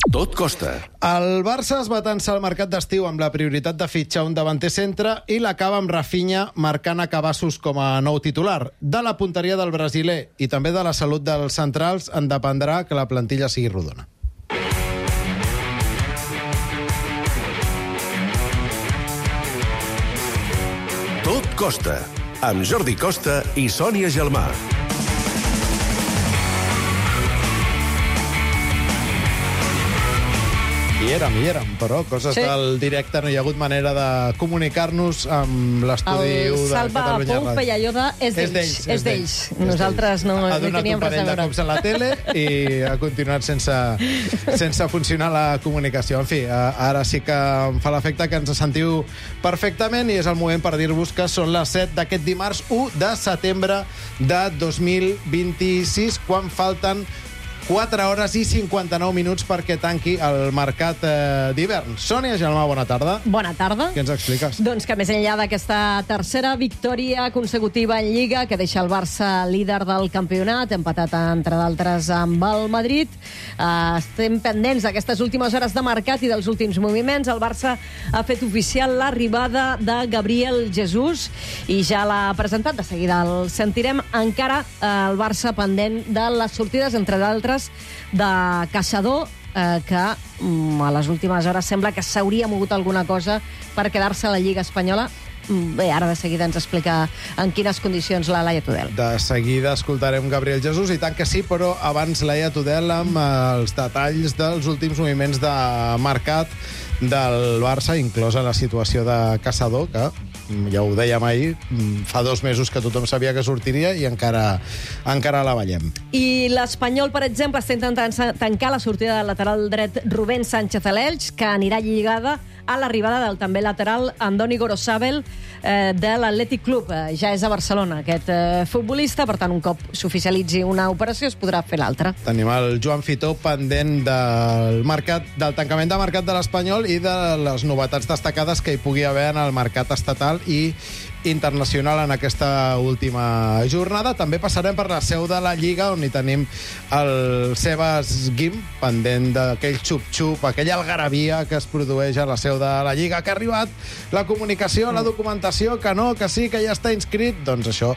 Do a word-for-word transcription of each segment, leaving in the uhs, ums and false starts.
Tot costa. El Barça es va tensar al mercat d'estiu amb la prioritat de fitxar un davanter centre i l'acaba amb Rafinha marcant a cabassos com a nou titular. De la punteria del brasiler i també de la salut dels centrals en dependrà que la plantilla sigui rodona. Tot costa, amb Jordi Costa i Sònia Gelmà. Hi érem, hi érem, però coses sí. del directe no hi ha hagut manera de comunicar-nos amb l'estudi de Catalunya. El Salva Pou Pellayoda és d'ells. És d'ells. Nosaltres no, no teníem res a veure. Ha donat un parell de cops a la tele i ha continuat sense, sense funcionar la comunicació. En fi, ara sí que em fa l'efecte que ens sentiu perfectament i és el moment per dir-vos que són les set d'aquest dimarts u de setembre de dos mil vint-i-sis, quan falten quatre hores i cinquanta-nou minuts perquè tanqui el mercat eh, d'hivern. Sònia Gelmà, bona tarda. Bona tarda. Què ens expliques? Doncs que més enllà d'aquesta tercera victòria consecutiva en Lliga, que deixa el Barça líder del campionat, empatat, entre d'altres, amb el Madrid, eh, estem pendents d'aquestes últimes hores de mercat i dels últims moviments. El Barça ha fet oficial l'arribada de Gabriel Jesús i ja l'ha presentat. De seguida el sentirem. Encara eh, el Barça pendent de les sortides, entre d'altres, de Caçador, eh, que mm, a les últimes hores sembla que s'hauria mogut alguna cosa per quedar-se a la Lliga Espanyola. Bé, ara de seguida ens explica en quines condicions la Laia Tudel. De seguida escoltarem Gabriel Jesús, i tant que sí, però abans Laia Tudel amb els detalls dels últims moviments de mercat del Barça, inclosa la situació de Caçador, que ja ho dèiem ahir, fa dos mesos que tothom sabia que sortiria i encara, encara la veiem. I l'Espanyol, per exemple, està intentant tancar la sortida del lateral dret Rubén Sánchez a l'Elx, que anirà lligada a l'arribada del també lateral Andoni Gorosabel eh, de l'Atlètic Club. Eh, ja és a Barcelona aquest eh, futbolista, per tant, un cop s'oficialitzi una operació es podrà fer l'altra. Tenim el Joan Fitó pendent del mercat, del tancament de mercat de l'Espanyol i de les novetats destacades que hi pugui haver en el mercat estatal i internacional en aquesta última jornada. També passarem per la seu de la Lliga, on hi tenim el Sebas Guim, pendent d'aquell xup-xup, aquella algarabia que es produeix a la seu de la Lliga, que ha arribat la comunicació, la documentació, que no, que sí, que ja està inscrit. Doncs això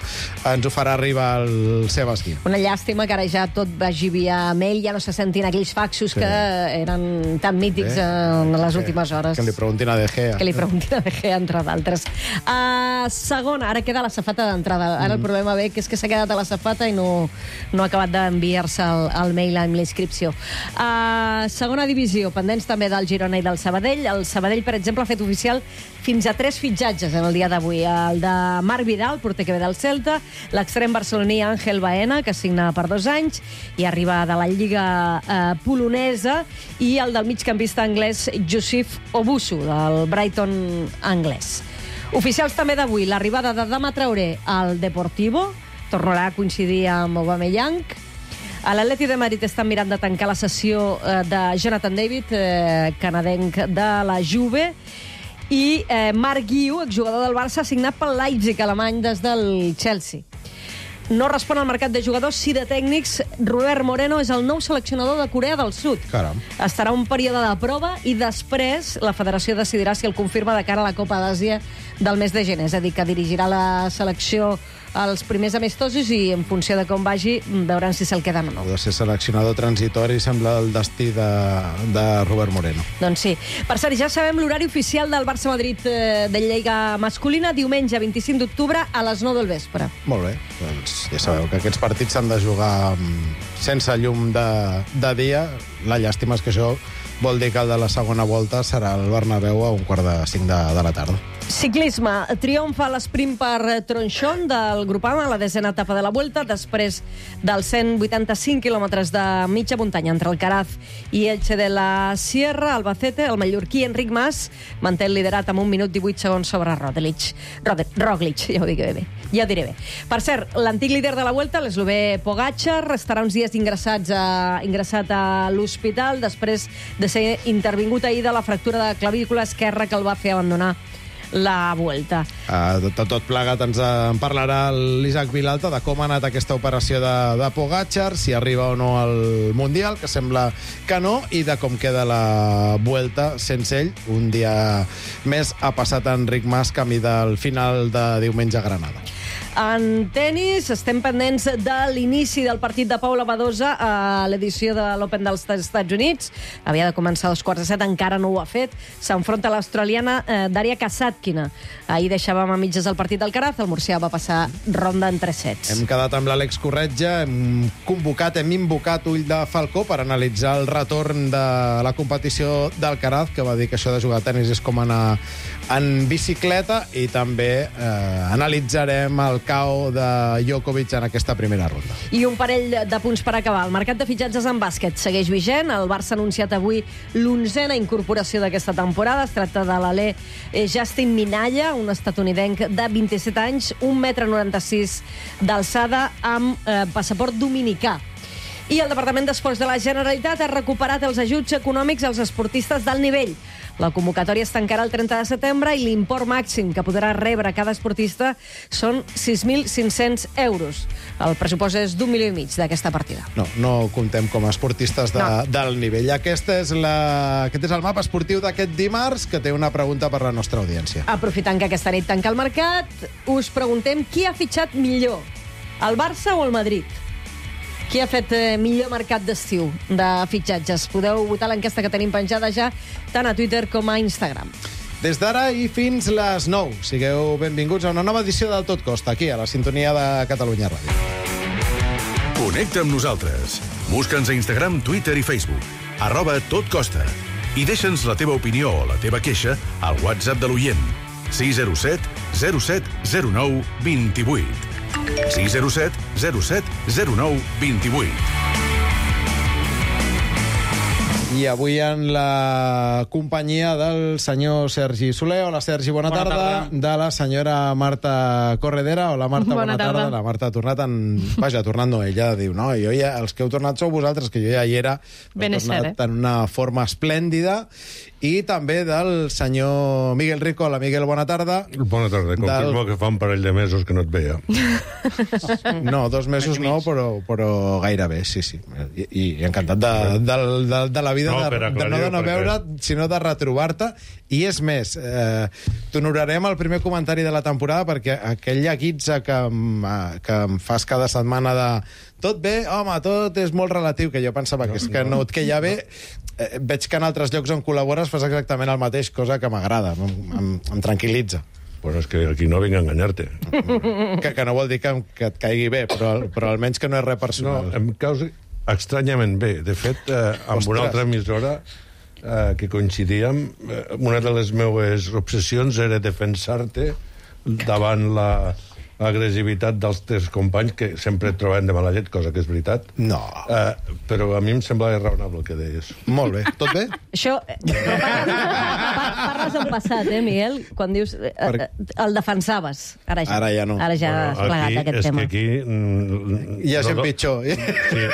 ens ho farà arribar el Sebas Guim. Una llàstima que ara ja tot vagi via mail, ja no se sentin aquells faxos sí. que eren tan mítics sí. en les sí. últimes hores. Que li preguntin a De Gea. Que li preguntin a De Gea, entre d'altres. Uh, segona, ara queda la safata d'entrada. Ara mm. el problema ve que és que s'ha quedat a la safata i no, no ha acabat d'enviar-se el, el mail amb l'inscripció. Uh, segona divisió, pendents també del Girona i del Sabadell. El Sabadell, per exemple, ha fet oficial fins a tres fitxatges en el dia d'avui. El de Marc Vidal, porter que ve del Celta, l'extrem barceloní Ángel Baena, que signa per dos anys i arriba de la Lliga eh, polonesa, i el del migcampista anglès Josif Obusu, del Brighton anglès. Oficials també d'avui, l'arribada de Dama Traoré al Deportivo, tornarà a coincidir amb Aubameyang. A l'Atleti de Madrid estan mirant de tancar la sessió eh, de Jonathan David, eh, canadenc de la Juve, i eh, Marc Guiu, exjugador del Barça, signat pel Leipzig alemany des del Chelsea. No respon al mercat de jugadors, sí de tècnics. Robert Moreno és el nou seleccionador de Corea del Sud. Caram. Estarà un període de prova i després la federació decidirà si el confirma de cara a la Copa d'Àsia del mes de gener. És a dir, que dirigirà la selecció als primers amistosos i en funció de com vagi veuran si se'l queden o no. Ha de ser seleccionador transitori, sembla el destí de, de Robert Moreno. Doncs sí. Per cert, ja sabem l'horari oficial del Barça-Madrid eh, de Lliga masculina, diumenge vint-i-cinc d'octubre a les nou del vespre. Molt bé. Doncs ja sabeu que aquests partits s'han de jugar sense llum de, de dia. La llàstima és que això vol dir que el de la segona volta serà al Bernabéu a un quart de cinc de, de la tarda. Ciclisme. Triomfa l'esprint per Tronchón del Groupama, la desena etapa de la Vuelta, després dels cent vuitanta-cinc quilòmetres de mitja muntanya entre Alcaraz i Elche de la Sierra. Albacete, el mallorquí Enric Mas manté el liderat amb un minut divuit segons sobre Roglic. Roglic, ja ho dic bé. Ja ho diré bé. Per cert, l'antic líder de la Vuelta, l'eslovè Pogačar, estarà uns dies ingressats a, ingressat a l'hospital després de ser intervingut ahir de la fractura de clavícula esquerra que el va fer abandonar la Vuelta. Uh, de, de tot plegat ens en parlarà l'Isaac Vilalta de com ha anat aquesta operació de, de Pogačar, si arriba o no al Mundial, que sembla que no, i de com queda la Vuelta sense ell. Un dia més ha passat Enric Mas camí del final de diumenge a Granada. En tennis estem pendents de l'inici del partit de Paula Badosa a l'edició de l'Open dels Estats Units. Havia de començar a dos quarts de set, encara no ho ha fet. S'enfronta a l'australiana eh, Daria Kasatkina. Ahir deixàvem a mitges el partit d'Alcaraz, el murcià va passar ronda en tres sets. Hem quedat amb l'Àlex Corretja, hem convocat, hem invocat Ull de Falcó per analitzar el retorn de la competició d'Alcaraz, que va dir que això de jugar a tenis és com anar en bicicleta, i també eh, analitzarem el cau de Djokovic en aquesta primera ronda. I un parell de punts per acabar. El mercat de fitxatges en bàsquet segueix vigent. El Barça ha anunciat avui l'onzena incorporació d'aquesta temporada. Es tracta de l'alè Justin Minaya, un estatunidenc de vint-i-set anys, un metre noranta-sis d'alçada, amb eh, passaport dominicà. I el Departament d'Esports de la Generalitat ha recuperat els ajuts econòmics als esportistes d'alt nivell. La convocatòria es tancarà el trenta de setembre i l'import màxim que podrà rebre cada esportista són sis mil cinc-cents euros. El pressupost és d'un milió i mig d'aquesta partida. No, no comptem com a esportistes de, No. del nivell. Aquesta és la, aquest és el mapa esportiu d'aquest dimarts, que té una pregunta per la nostra audiència. Aprofitant que aquesta nit tanca el mercat, us preguntem qui ha fitxat millor, el Barça o el Madrid? Qui ha fet eh, millor mercat d'estiu de fitxatges? Podeu votar l'enquesta que tenim penjada ja tant a Twitter com a Instagram. Des d'ara i fins les nou. Sigueu benvinguts a una nova edició del Tot Costa, aquí, a la sintonia de Catalunya Ràdio. Connecta amb nosaltres. Busca'ns a Instagram, Twitter i Facebook. Arroba Tot Costa. I deixa'ns la teva opinió o la teva queixa al WhatsApp de l'oient. sis zero set zero set zero nou dos vuit. sis zero set zero set zero nou dos vuit. I avui en la companyia del senyor Sergi Soler. Hola, Sergi, bona, Bona tarda. tarda. De la senyora Marta Corredera. Hola, Marta, bona, Bona tarda. tarda. La Marta ha tornat en... Vaja, ha tornat no, ella diu, no, jo ja, els que heu tornat sou vosaltres, que jo ja hi era. Ben Heu és cert, tornat en una forma esplèndida. I també del senyor Miguel Rico. Hola, Miguel, bona tarda. Bona tarda. Confirmo Del- que fa un parell de mesos que no et veia. No, dos mesos no, però, però gairebé, sí, sí. I, i encantat de, de, de, de la vida, No, de, per de no aclarir, de no perquè- veure't, sinó de retrobar-te. I és més, eh, t'honorarem el primer comentari de la temporada, perquè aquell guitza que, em- eh, que em fas cada setmana de tot bé, home, tot és molt relatiu, que jo pensava que és que no et queia bé. Eh, veig que en altres llocs on col·labores fas exactament el mateix, cosa que m'agrada, em, em, em tranquil·litza. Bueno, és que aquí no vinc a enganyar-te. Que, que no vol dir que, que et caigui bé, però, però almenys que no és res No, personal. em causa estranyament bé. De fet, eh, amb Ostres. una altra emissora eh, que coincidíem, eh, una de les meues obsessions era defensar-te davant la l'agressivitat dels teus companys, que sempre et trobaven de mala llet, cosa que és veritat. No. Eh, però a mi em semblava raonable el que deies. Molt bé. Tot bé? Això... eh, Però parles, par- parles en passat, eh, Miguel? Quan dius... Eh, eh, el defensaves. Ara ja, Ara ja no. Ara ja has plegat aquest és tema. que aquí... Mm, Hi ha no gent do- pitjor. Sí,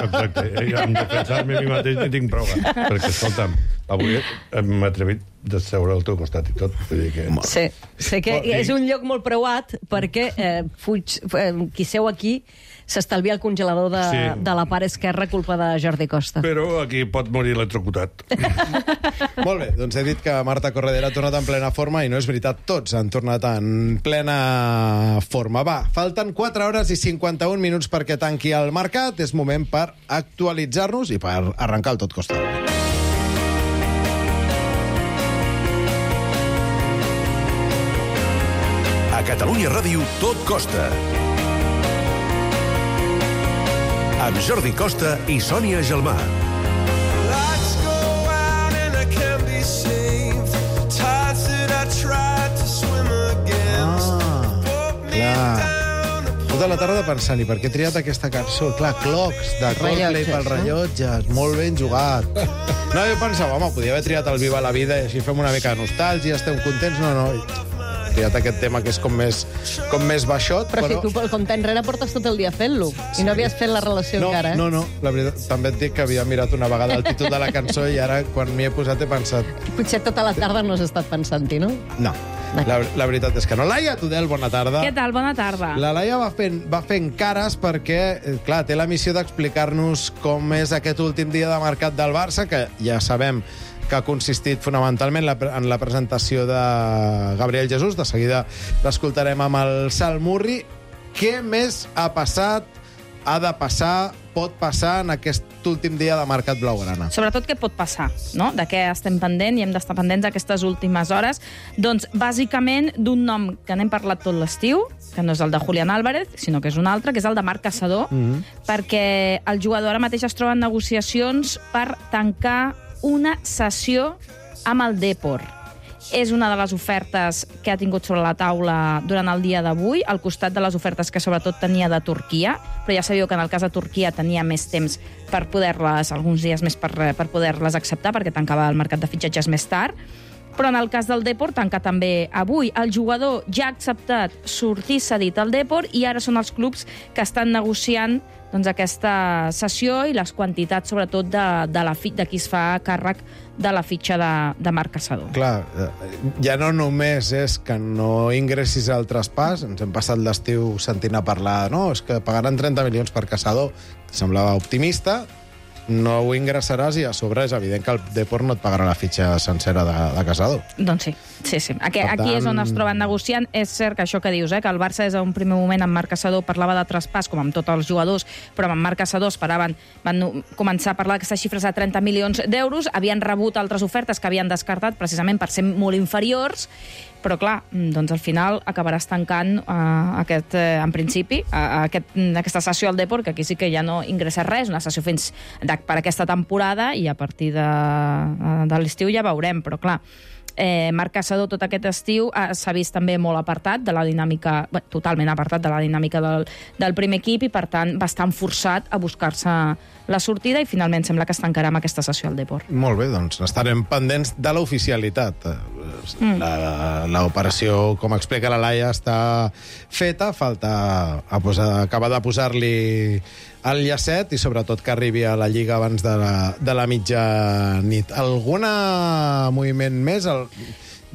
exacte. I amb defensar-me a mi mateix ni tinc prova. Perquè, escolta'm, avui m'he atrevit de seure al teu costat i tot. Vull dir que... Sí, sé que Oh, i- és un lloc molt preuat perquè eh, fuig, eh, qui seu aquí s'estalvia el congelador de, Sí. de la part esquerra culpa de Jordi Costa. Però aquí pot morir electrocutat. Molt bé, doncs he dit que Marta Corredera ha tornat en plena forma i no és veritat, tots han tornat en plena forma. Va, falten quatre hores i cinquanta-un minuts perquè tanqui el mercat. És moment per actualitzar-nos i per arrencar el Tot Costa. A Catalunya Ràdio, Tot Costa. Amb Jordi Costa i Sònia Gelmà. Lights go out and I can't be saved. Tides that I tried to swim against. Put me clar. down to Tota la tarda pensant, i per què he triat aquesta cançó? Clar, Clocks, de Coldplay Rellotges, pel no? rellotges. Molt ben jugat. No, jo pensava, home, podia haver triat el Viva la Vida i així fem una mica de nostàlgia, estem contents. No, no, he triat aquest tema que és com més, com més baixot, Però, però... si tu pel compte enrere portes tot el dia fent-lo i no havies fet la relació No, encara, eh? no, no, la veritat, també et dic que havia mirat una vegada el títol de la cançó i ara, quan m'hi he posat, he pensat... Potser tota la tarda no has estat pensant-hi, no? No. La, la veritat és que no. Laia Tudel, bona tarda. Què tal? Bona tarda. La Laia va fent, va fent cares perquè, eh, clar, té la missió d'explicar-nos com és aquest últim dia de mercat del Barça, que ja sabem que ha consistit fonamentalment la, en la presentació de Gabriel Jesús. De seguida l'escoltarem amb el Salmurri. Què més ha passat, ha de passar, pot passar en aquest últim dia de mercat blaugrana? Sobretot què pot passar, no? De què estem pendent i hem d'estar pendents aquestes últimes hores. Doncs, bàsicament, d'un nom que n'hem parlat tot l'estiu, que no és el de Julián Álvarez, sinó que és un altre, que és el de Marc Caçador, mm-hmm. perquè el jugador ara mateix es troba en negociacions per tancar una sessió amb el Depor. És una de les ofertes que ha tingut sobre la taula durant el dia d'avui, al costat de les ofertes que sobretot tenia de Turquia, però ja sabíeu que en el cas de Turquia tenia més temps per poder-les, alguns dies més per, per poder-les acceptar, perquè tancava el mercat de fitxatges més tard. Però en el cas del Depor tanca també avui. El jugador ja ha acceptat sortir cedit al Depor i ara són els clubs que estan negociant doncs, aquesta sessió i les quantitats, sobretot, de, de, la, de qui es fa càrrec de la fitxa de, de Marc Caçador. Clar, ja no només és que no ingressis al traspàs, ens hem passat l'estiu sentint a parlar, no, és que pagaran trenta milions per Caçador, semblava optimista, no ho ingressaràs i a sobre és evident que el Depor no et pagarà la fitxa sencera de, de Caçador. Doncs sí, sí, sí. Aquí, tant... aquí és on es troben negociant. És cert que això que dius, eh, que el Barça des d'un primer moment amb Marc Caçador parlava de traspàs, com amb tots els jugadors, però amb Marc Caçador esperaven, van començar a parlar d'aquestes xifres de trenta milions d'euros, havien rebut altres ofertes que havien descartat precisament per ser molt inferiors, però clar, doncs al final acabaràs tancant uh, aquest, uh, en principi, uh, aquest, aquesta sessió al Depor, que aquí sí que ja no ingressa res, una sessió fins de, per aquesta temporada, i a partir de, uh, de l'estiu ja veurem, però clar, Eh, Marc Caçador tot aquest estiu eh, s'ha vist també molt apartat de la dinàmica, bé, totalment apartat de la dinàmica del, del primer equip i per tant bastant forçat a buscar-se la sortida i finalment sembla que es tancarà amb aquesta sessió al Depor. Molt bé, doncs estarem pendents de l'oficialitat. Mm. L'operació, com explica la Laia, està feta, falta a posar, acabar de posar-li el llacet i sobretot que arribi a la Lliga abans de la, de la mitjanit. Alguna moviment més? El...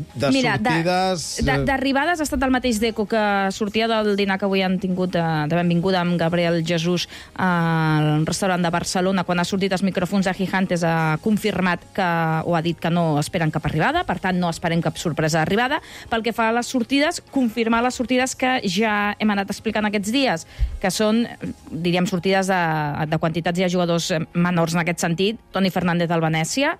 De Mira, sortides... d'arribades ha estat el mateix Deco que sortia del dinar que avui han tingut de, de benvinguda amb Gabriel Jesús al restaurant de Barcelona. Quan ha sortit els micròfons de Gigantes ha confirmat que, o ha dit que no esperen cap arribada, per tant no esperem cap sorpresa d'arribada. Pel que fa a les sortides, confirmar les sortides que ja hem anat explicant aquests dies, que són, diríem, sortides de, de quantitats i de jugadors menors en aquest sentit. Toni Fernández del Venècia,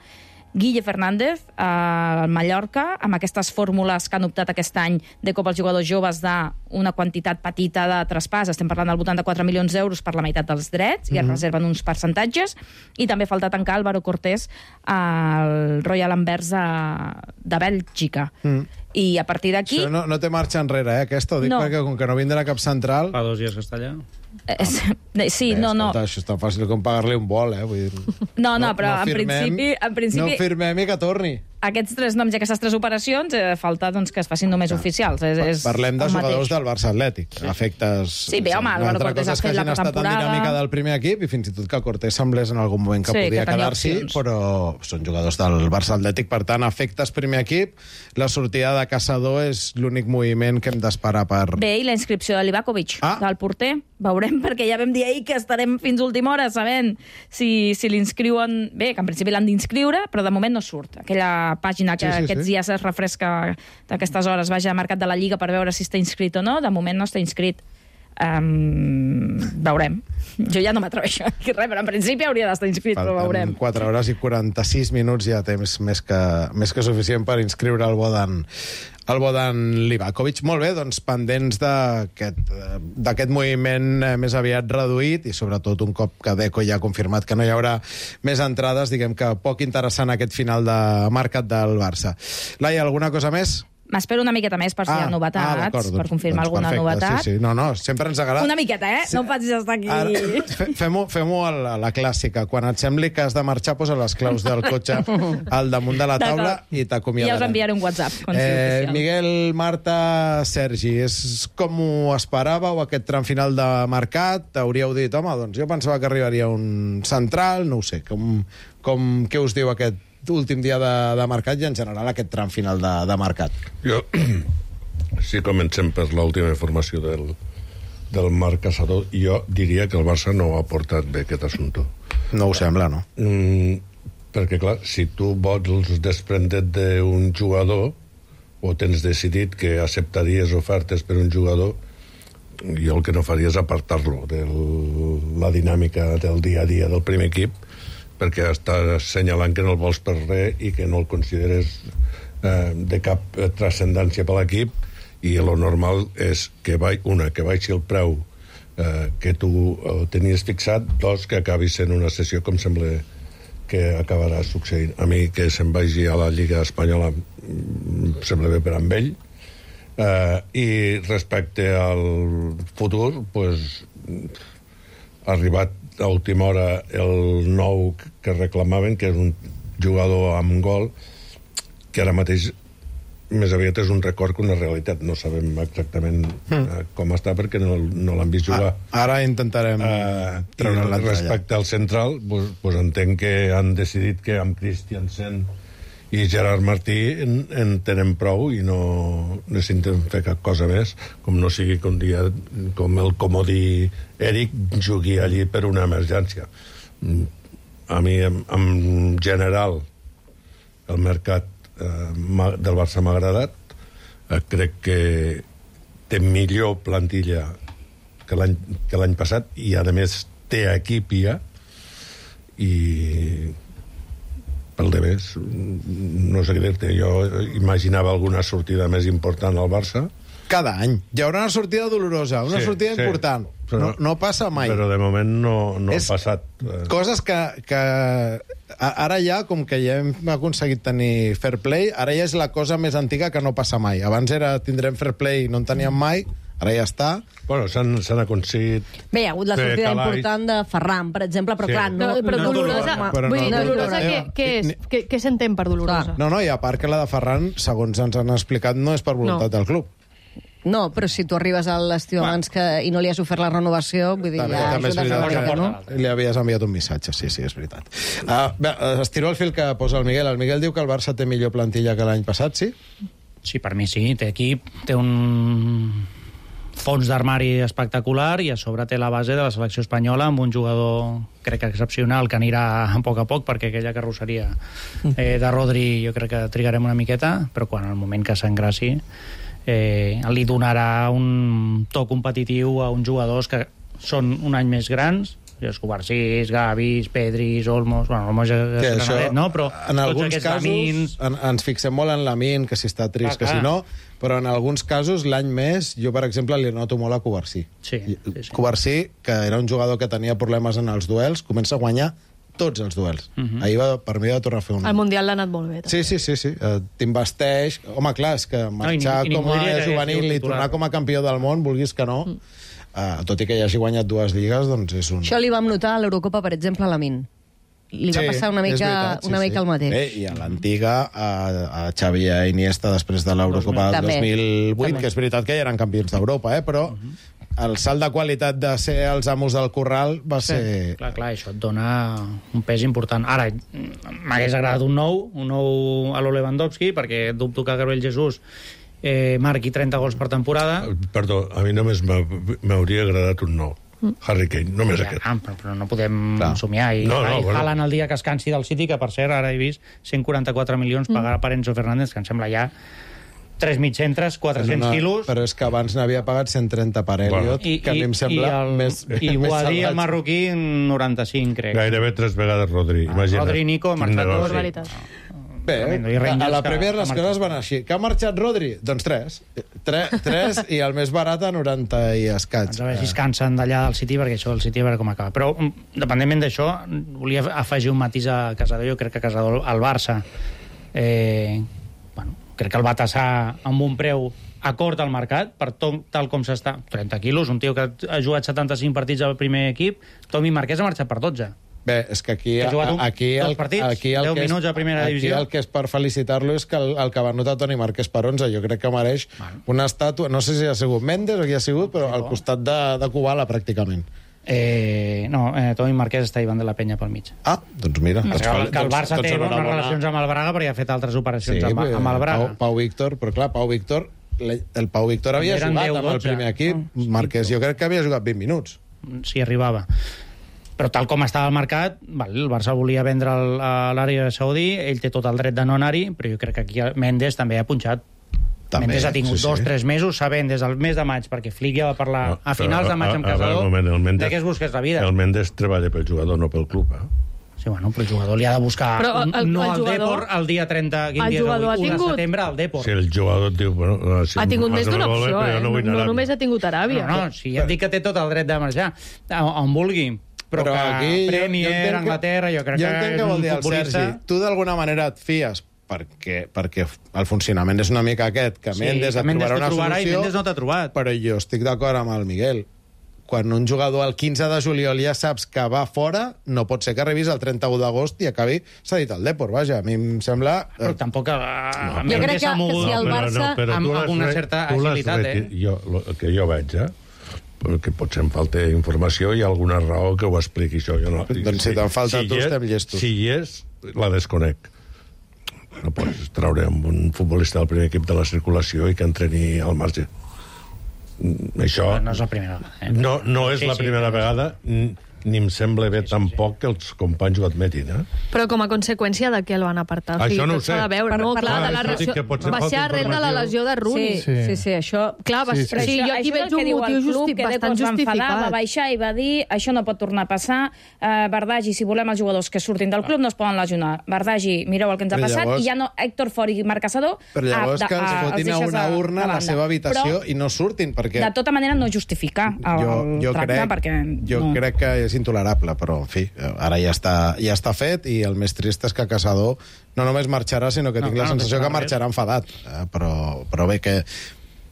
Guille Fernández al Mallorca, amb aquestes fórmules que han optat aquest any de cop als jugadors joves d'una quantitat petita de traspàs, estem parlant del voltant de quatre milions d'euros per la meitat dels drets, i es mm-hmm. reserven uns percentatges, i també falta tancar Álvaro Cortés al Royal Anvers de Bèlgica. Mm. I a partir d'aquí... No, no té marxa enrere, eh, aquesta, ho dic no. perquè com que no vindrà cap central... Fa dos dies que està allà. Eh, sí, eh, no, no. Escolta, això és tan fàcil com pagar-li un vol, eh? Vull dir, no, no, però no en, firmem, principi, en principi... No firmem i que torni. Aquests tres noms i aquestes tres operacions eh, falta doncs, que es facin només oficials. És, és Parlem de jugadors del Barça Atlètic. Sí. Efectes... Sí, bé, home, Álvaro Cortés ha fet la pretemporada. Estat en dinàmica del primer equip i fins i tot que Cortés semblés en algun moment que sí, podia que quedar-s'hi, però són jugadors del Barça Atlètic, per tant, efectes primer equip. La sortida de Caçador és l'únic moviment que hem d'esperar per... Bé, i la inscripció de Livakovic, ah. del porter. Veurem, perquè ja vam dir ahir que estarem fins última hora sabent si, si l'inscriuen... Bé, que en principi l'han d'inscriure, però de moment no surt. Aquella pàgina que sí, sí, aquests sí. dies es refresca d'aquestes hores, vaja a Mercat de la Lliga per veure si està inscrit o no, de moment no està inscrit. Um, veurem. Jo ja no m'atreveixo a dir res, però en principi hauria d'estar inscrit, Falten però veurem. quatre hores i quaranta-sis minuts, ja temps més que, més que suficient per inscriure el Bodan, el Bodan Livakovic. Molt bé, doncs pendents d'aquest moviment més aviat reduït i sobretot un cop que Deco ja ha confirmat que no hi haurà més entrades, diguem que poc interessant aquest final de mercat del Barça. Laia, alguna cosa més? M'espero una miqueta més per si ah, hi ha novetats, ah, per confirmar doncs alguna perfecte, novetat. Sí, sí. No, no, sempre ens agrada... Una miqueta, eh? Sí. No em facis estar aquí... Fem-ho fem a la, la clàssica. Quan et sembli que has de marxar, posa les claus del cotxe al damunt de la taula i t'acomiadarem. Ja us enviaré un WhatsApp. Eh, Miguel, Marta, Sergi, és com ho esperàveu aquest tram final de mercat? Hauríeu dit, home, doncs jo pensava que arribaria un central, no ho sé, com, com, què us diu aquest últim dia de, de mercat i en general aquest tram final de, de mercat. Jo, si comencem per l'última informació del, del Marc Caçador, jo diria que el Barça no ha portat bé aquest assumpte. No ho sembla, no? Mm, perquè, clar, si tu vols desprendre't d'un jugador o tens decidit que acceptaries ofertes per un jugador, jo el que no faria és apartar-lo de la dinàmica del dia a dia del primer equip, perquè estàs assenyalant que no el vols per res i que no el consideres eh, de cap transcendència per l'equip, i el normal és que vai, una, que baixi el preu eh, que tu eh, tenies fixat, dos, que acabi sent una sessió com sembla que acabarà succeint. A mi que se'n vagi a la Lliga Espanyola em sembla bé per amb ell. Uh, i respecte al futur, pues, ha arribat a última hora el nou que reclamaven, que és un jugador amb gol, que ara mateix més aviat és un record que una realitat. No sabem exactament mm. uh, com està, perquè no, no l'han vist jugar. Ah, ara intentarem uh, treure la talla. Respecte al central, pues, pues entenc que han decidit que amb Christiansen i Gerard Martí en, en tenen prou i no necessiten fer cap cosa més, com no sigui que un dia, com el comodí Eric, jugui allí per una emergència. A mi, en, en general, el mercat eh, del Barça m'ha agradat. Eh, crec que té millor plantilla que l'any que l'any passat i, a més, té equip ja, i pel de més, no sé què dir-te. Jo imaginava alguna sortida més important al Barça. Cada any. Hi haurà una sortida dolorosa, una sí, sortida sí, important. Però, no, no passa mai. Però de moment no, no és ha passat. Coses que, que ara ja, com que ja hem aconseguit tenir fair play, ara ja és la cosa més antiga que no passa mai. Abans era tindrem fair play i no en teníem mai, ara ja està. Bueno, s'han aconseguit... Bé, hi ha hagut la sortida Calais. important de Ferran, per exemple, però Sí. clar, no... No, però no, dolorosa, no, però vull no dir, dolorosa, dolorosa. què, què és? Què, què s'entén per dolorosa? No, no, i a part que la de Ferran, segons ens han explicat, no és per voluntat No. del club. no, però si tu arribes a l'estiu abans que, i no li has ofert la renovació, vull dir, També, ja també és ajudes una veritat mica, que no? li havies enviat un missatge, sí, sí, és veritat. Uh, bé, estiro el fil que posa el Miguel. El Miguel diu que el Barça té millor plantilla que l'any passat, sí? Sí, per mi sí, té equip, té un fons d'armari espectacular i a sobre té la base de la selecció espanyola amb un jugador, crec que excepcional, que anirà a poc a poc, perquè aquella carrosseria eh, de Rodri jo crec que trigarem una miqueta, però quan al moment que s'engraci eh, li donarà un to competitiu a uns jugadors que són un any més grans, els Covarsís, Gavis, Pedris, Olmos... Bueno, Olmos ja és Sí, granadet, no? Però en tots alguns aquests casos Lamins... en, ens fixem molt en Lamin, que si està trist, Clar, que si clar. no, però en alguns casos l'any més, jo per exemple li noto molt a Covarsí. Sí, sí, sí. Covarsí, que era un jugador que tenia problemes en els duels, comença a guanyar tots els duels. Uh -huh. Ahir va, per mi va tornar a fer un... El Mundial l'ha anat molt bé. Sí, sí, sí, sí. Uh, T'investeix... Home, clar, és que marxar i ni- i com ningú a diria que hagués juvenil sigut i titular. tornar com a campió del món, vulguis que no, uh, tot i que ja hagi guanyat dues lligues, doncs és un... Això li vam notar a l'Eurocopa, per exemple, a Lamin. Li va passar una és mica, veritat, una mica el mateix. Bé, i a l'antiga, a, a Xavi i a Iniesta, després de l'Eurocopa del També. dos mil vuit, També. que és veritat que ja eren campions d'Europa, eh? Però el salt de qualitat de ser els amos del corral va ser... Clar, clar, això et dona un pes important. Ara, m'hagués agradat un nou, un nou a lo Lewandowski, perquè dubto que Gabriel Jesús eh, marqui trenta gols per temporada. Perdó, a mi només m'ha- m'hauria agradat un nou. Harry Kane, només Ja, aquest. ah, però, però no podem Clar. somiar. I, No, no, i bueno. Haaland el dia que es cansi del City, que per cert ara he vist cent quaranta-quatre milions pagar per Enzo Fernández, que em sembla ja tres mig centres, quatre-cents No, quilos. Però és que abans n'havia pagat cent trenta per Elliot, I, que a mi em sembla i el, més, i més Guadí, el salvatge. marroquí, noranta-cinc, crec. Gairebé tres vegades Rodri, imagina't. Rodri i Nico, Quin marxat negoci. dos. Barbaritat. Bé, Tremendo. I a Rangers la que- Premier que les ha coses marxat. van així. Que ha marxat Rodri? Doncs tres. Tres, tres i el més barat a noranta i escaig. Doncs a veure si es cansen d'allà del City, perquè això del City a veure com acaba. Però, mm, dependentment d'això, volia afegir un matís a Casador. Jo crec que Casador, al Barça, eh, bueno, crec que el va tassar amb un preu acord al mercat, per tot, tal com s'està. trenta quilos, un tio que ha jugat setanta-cinc partits al primer equip. Tomi Marquès ha marxat per dotze. Bé, és que aquí... Que ha jugat un- aquí dos el, partits, aquí el deu que és, minuts a primera aquí divisió. el que és per felicitar-lo és que el, el que va anotar Toni Marquès per onze, jo crec que mereix una estàtua, no sé si ha sigut Mendes o qui ha sigut, però al costat de, de Kubala, pràcticament. Eh, no, eh, Toni Marquès està Ivan de la Penya pel mig. Ah, doncs mira. Que, Doncs, que el Barça doncs té bones enhorabona. relacions amb el Braga perquè ha fet altres operacions Sí, amb, amb el Braga. Pau, Pau Víctor, però clar, Pau Víctor, el Pau Víctor havia Eren jugat deu, amb el dotze. primer equip. Ah, Marquès, jo crec que havia jugat vint minuts. Si arribava. Però tal com estava el mercat, val, el Barça volia vendre el, a l'àrea saudí, ell té tot el dret de no anar-hi, però jo crec que aquí Mendes també ha punxat. També, Mendes ha tingut sí, sí. dos, tres mesos sabent des del mes de maig, perquè Flick ja va parlar No, a finals de maig amb a- a- a veure, Casador, un moment, el Mendes- de què es busques la vida. El Mendes treballa pel jugador, no pel club, eh? Sí, bueno, però el jugador li ha de buscar Però el- el- no el al jugador- Depor el dia trenta, quin el dia és jugador avui? ha u de tingut- setembre al Depor. Si el jugador et diu... Bueno, si Ha tingut més d'una m'agrada molt bé, opció, però jo eh? no, vull No, anar no a només ha tingut Aràbia. No, no, si ja et dic que té tot el dret de marxar a- on vulgui. Però, Però que aquí jo- Premier, jo entenc que- Anglaterra, jo crec jo que entenc és què vol un dir el futbolista... Sergi. Tu d'alguna manera et fies perquè, perquè el funcionament és una mica aquest, que Sí, Mendes que et Mendes trobarà t'ho una trobarà i solució, Mendes no t'ha trobat. però jo estic d'acord amb el Miguel. Quan un jugador el quinze de juliol ja saps que va fora, no pot ser que arribis el trenta-u d'agost i acabi cedit al Depor, vaja. A mi em sembla... Però tampoc... Uh, Jo crec que- s'ha mogut que si el però, Barça- però amb tu l'has una re- certa tu l'has agilitat, reti- eh? Jo, lo, el que jo veig, eh? Perquè potser em falta informació i alguna raó que ho expliqui això. Jo no, Doncs si te'n falta a tu, hi és- estem llestos. Si hi és, la desconec. No pots treure amb un futbolista del primer equip de la circulació i que entreni al marge. Mm, Això... No és la primera vegada. Eh? No, no és Sí, la sí, primera però- vegada, ni ni em sembla bé tampoc que els companys ho admetin, eh? Però com a conseqüència de què el van apartar? O sigui, Això no ho tot s'ha sé. de veure, Per- no? per Clar, la- de la Clar, lesió... que potser Va falta ser arrel de la informació. lesió de Rooney. Sí, sí, sí, això... Clar, va, sí, sí, sí, jo aquí això és veig el que un diu motiu el club, justi que bastant Deco es va enfadar, va justificat. baixar i va dir això no pot tornar a passar, uh, Bardagi, si volem els jugadors que surtin del club no es poden lesionar. Bardagi, mireu el que ens ha Però passat, llavors- i ja no, Héctor Fort i Marc Casador... Però llavors a- que els a- fotin a deixes una de- urna de a la banda. seva habitació Però, i no surtin, perquè... de tota manera, no justificar el, jo, jo tracte, crec, perquè... jo no. crec que és intolerable, però, en fi, ara ja està, ja està fet i el més trist és que Casador no només marxarà, sinó que No, tinc clar, la no sensació deixarà que marxarà enfadat. Eh, però, però bé, que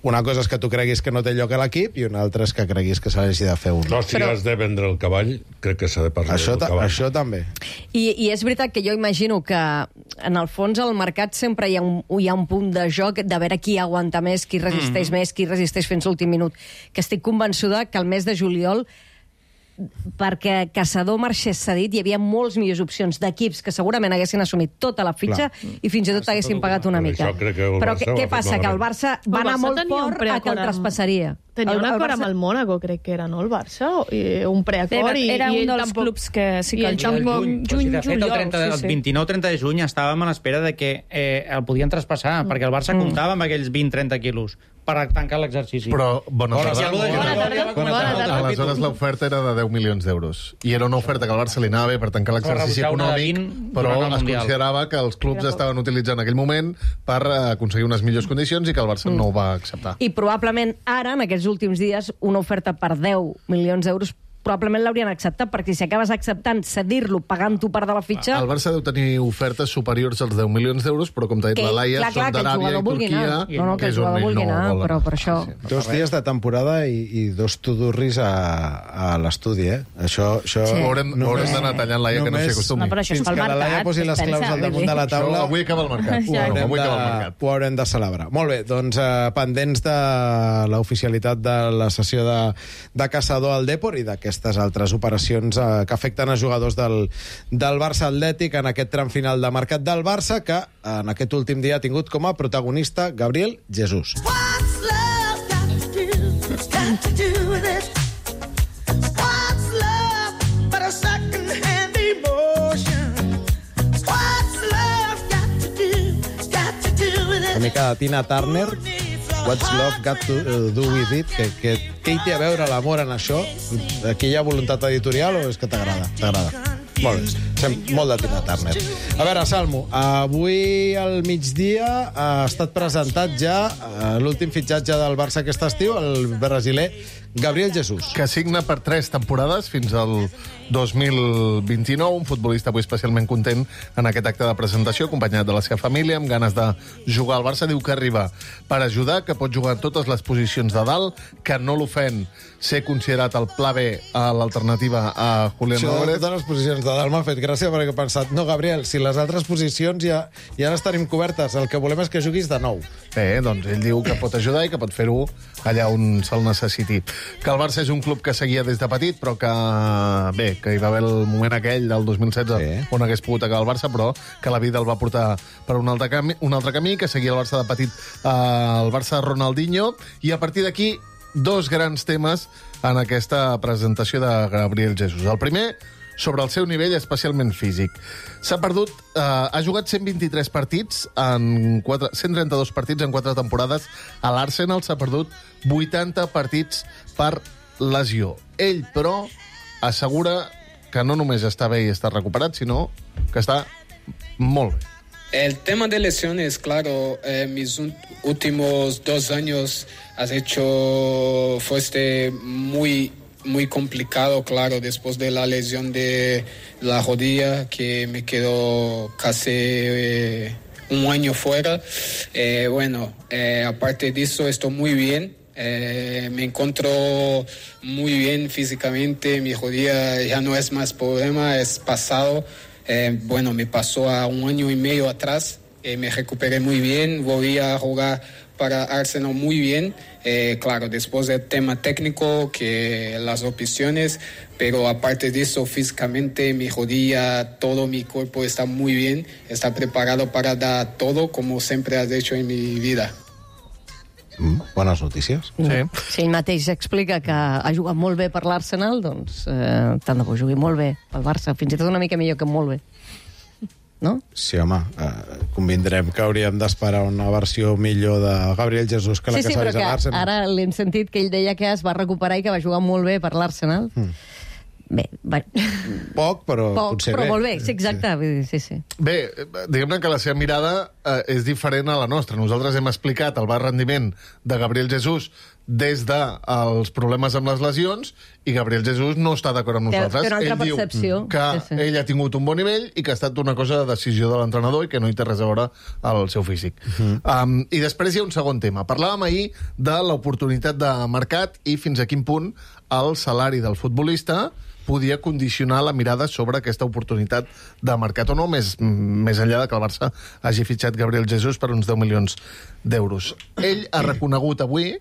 una cosa és que tu creguis que no té lloc a l'equip i una altra és que creguis que s'hagi de fer un... No, si Però- has de vendre el cavall, crec que s'ha de parlar Això, del ta cavall. això també. I, I és veritat que jo imagino que en el fons al mercat sempre hi ha un, hi ha un punt de joc de veure qui aguanta més, qui resisteix mm. més, qui resisteix fins l'últim minut. Que estic convençuda que el mes de juliol perquè Casador marxés cedit, hi havia molts millors opcions d'equips que segurament haguessin assumit tota la fitxa Clar. i fins i tot haguessin pagat una Però mica. això crec que el Però Barça què, ho què ha fet passa? Que el malament. Barça El va anar Barça molt tenia un fort a que el preacord amb- traspassaria. Tenia El- un el acord amb Barça- el Mónaco, crec que era, no, el Barça? I un preacord Era, i, era i un ell dels tampoc... clubs que sí i que ell el juny, tampoc- juny, Però si de fet, el, juliol, trenta, sí, el sí. vint-i-nou trenta de juny estàvem a l'espera de que eh, el podien traspassar, perquè el Barça comptava amb aquells vint trenta quilos per tancar l'exercici. Però, bona Bona tarda. tarda. Bona tarda. Bona Bona tarda. tarda. Aleshores, l'oferta era de deu milions d'euros. I era una oferta que al Barça li anava bé per tancar l'exercici rebutjar una de econòmic, vint però durant el es Mundial. considerava que els clubs estaven utilitzant en aquell moment per eh, aconseguir unes millors condicions i que el Barça no ho va acceptar. I probablement ara, en aquests últims dies, una oferta per deu milions d'euros probablement l'haurien acceptat, perquè si acabes acceptant cedir-lo pagant tu part de la fitxa... El Barça deu tenir ofertes superiors als deu milions d'euros, però com t'ha dit Que, la Laia, clar, clar, són que el d'Aràbia jugador i vulgui Turquia, anar. No, no, que el és on jugador ell vulgui no anar, vol però anar. per això- Sí, sí. Dos dies de temporada i, i dos tudurris a, a l'estudi, eh? Això... això Sí. Ho haurem, ho haurem d'anar tallant, Laia, que no s'hi només- acostumi. No, però això és Fins pel que la Laia mercat, posi les claus pensa, al damunt vull de la dir. taula... Això avui acaba el mercat. Ho Ja. haurem, Avui de, acaba el mercat. ho haurem de celebrar. Molt bé, doncs eh, pendents de l'oficialitat de la sessió de, de Casador al Depor i d'aquestes altres operacions eh, que afecten a jugadors del, del Barça Atlètic en aquest tram final de mercat del Barça, que en aquest últim dia ha tingut com a protagonista Gabriel Jesús. What's love got to do, got to do with it? What's love but a second-hand emotion? What's love got to do, got to do with it? Una mica de Tina Turner, What's Love Got to uh, Do With It, que, que, què hi té a veure l'amor en això? Aquí hi ha voluntat editorial o és que t'agrada? T'agrada? Molt bé, Sem molt de Tina Turner. A veure, Salmo, avui al migdia ha estat presentat ja eh, l'últim fitxatge del Barça aquest estiu, el brasiler Gabriel Jesús. Que signa per tres temporades fins al dos mil vint-i-nou, un futbolista avui especialment content en aquest acte de presentació, acompanyat de la seva família, amb ganes de jugar al Barça. Diu que arriba per ajudar, que pot jugar en totes les posicions de dalt, que no l'ofèn ser considerat el pla B a l'alternativa a Julián Això de Álvarez. totes les posicions de dalt m'ha fet gràcia perquè he pensat, no, Gabriel, si les altres posicions ja, ja les tenim cobertes, el que volem és que juguis de nou. Bé, doncs ell diu que pot ajudar i que pot fer-ho allà on se'l necessiti. Que el Barça és un club que seguia des de petit, però que, bé, que hi va haver el moment aquell del dos mil setze sí. on hagués pogut acabar el Barça, però que la vida el va portar per un altre camí, un altre camí que seguia el Barça de petit, eh, el Barça Ronaldinho, i a partir d'aquí dos grans temes en aquesta presentació de Gabriel Jesús. El primer, sobre el seu nivell especialment físic. S'ha perdut, eh, ha jugat cent vint-i-tres partits en quatre, cent trenta-dos partits en quatre temporades. A l'Arsenal s'ha perdut vuitanta partits per lesió. Ell, però, assegura que no només està bé i està recuperat, sinó que està molt bé. El tema de lesiones, claro, eh, mis últimos dos años has hecho, fuiste muy, muy complicado, claro, después de la lesión de la rodilla, que me quedó casi eh, un año fuera. Eh, bueno, eh, aparte de eso, estoy muy bien. Eh, me encuentro muy bien físicamente, mi rodilla ya no es más problema, es pasado. Eh, bueno, me pasó a un año y medio atrás, eh, me recuperé muy bien, volví a jugar para Arsenal muy bien, eh, claro, después del tema técnico, que las opciones, pero aparte de eso, físicamente, mi rodilla, todo mi cuerpo está muy bien, está preparado para dar todo, como siempre has hecho en mi vida. Mm, bones notícies. Sí. Si ell mateix explica que ha jugat molt bé per l'Arsenal, doncs eh, tant de bo jugui molt bé pel Barça, fins i tot una mica millor que molt bé. No? Sí, home, eh, convindrem que hauríem d'esperar una versió millor de Gabriel Jesús que la sí, que sí, s'ha vist a l'Arsenal. l'Arsenal. Ara l'hem sentit que ell deia que es va recuperar i que va jugar molt bé per l'Arsenal. Mm. Bé, va... Poc, però Poc, potser però bé. molt bé, sí, exacte. Sí, sí. sí. Bé, diguem-ne que la seva mirada eh, és diferent a la nostra. Nosaltres hem explicat el baix rendiment de Gabriel Jesús des dels problemes amb les lesions i Gabriel Jesús no està d'acord amb nosaltres. Té una altra ell percepció. diu que sí, sí. ell ha tingut un bon nivell i que ha estat una cosa de decisió de l'entrenador i que no hi té res a veure al seu físic. Uh -huh. um, I després hi ha un segon tema. Parlàvem ahir de l'oportunitat de mercat i fins a quin punt el salari del futbolista podia condicionar la mirada sobre aquesta oportunitat de mercat o no, més, més enllà de que el Barça hagi fitxat Gabriel Jesús per uns deu milions d'euros. Ell ha reconegut avui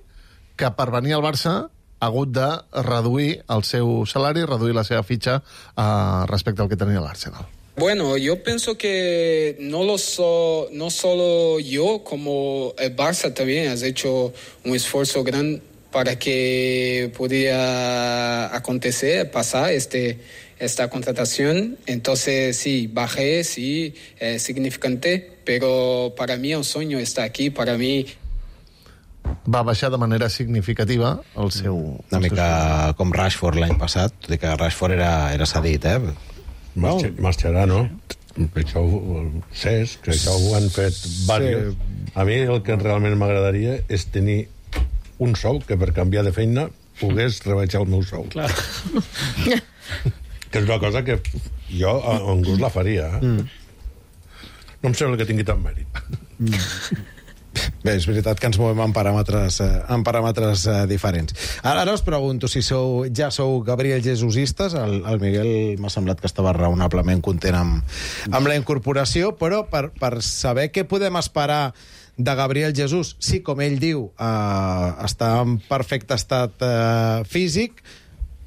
que per venir al Barça ha hagut de reduir el seu salari, reduir la seva fitxa eh, respecte al que tenia l'Arsenal. Bueno, yo pienso que no lo so, no solo yo, como el Barça también has hecho un esfuerzo grande para que pudiera acontecer, pasar este, esta contratación. Entonces, sí, bajé, sí, es significante, pero para mí un sueño está aquí, para mí... Va baixar de manera significativa el seu... Una mica com Rashford l'any passat, tot i que Rashford era, era cedit, eh? Marxa, marxarà, no? Això ho Cesc, que això ho han fet diversos. Sí. A mi el que realment m'agradaria és tenir un sou que per canviar de feina pogués rebaixar el meu sou. Clar. Que és una cosa que jo en gust la faria. Eh? Mm. No em sembla que tingui tant mèrit. Mm. Bé, és veritat que ens movem en paràmetres, eh, en paràmetres eh, diferents. Ara, ara us pregunto si sou, ja sou Gabriel Jesusistes. El, el Miguel m'ha semblat que estava raonablement content amb, amb la incorporació, però per, per saber què podem esperar de Gabriel Jesús, sí, com ell diu, eh, està en perfecte estat eh, físic,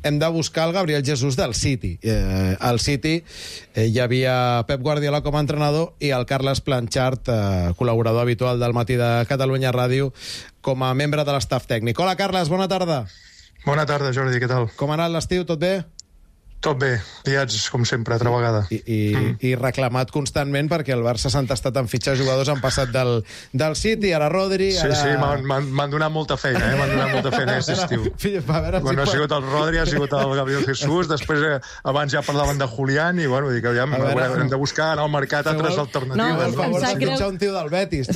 hem de buscar el Gabriel Jesús del City. Eh, al City eh, hi havia Pep Guardiola com a entrenador i el Carles Planchart, eh, col·laborador habitual del Matí de Catalunya Ràdio, com a membre de l'estaf tècnic. Hola, Carles, bona tarda. Bona tarda, Jordi, què tal? Com ha anat l'estiu, tot bé? Tot bé, liats, com sempre, altra vegada. I, i, mm. i reclamat constantment perquè el Barça s'ha entestat en fitxar jugadors, han passat del, del City, ara Rodri... Sí, ara... sí, m'han donat molta feina, eh? M'han donat molta feina aquest estiu. Bueno, bueno, ha sigut el Rodri, ha sigut el Gabriel Jesús, després eh, abans ja parlaven de Julián, i bueno, dic, aviam, veure, hem de buscar en el mercat altres el... alternatives. No, per favor, si greu... un tio del Betis.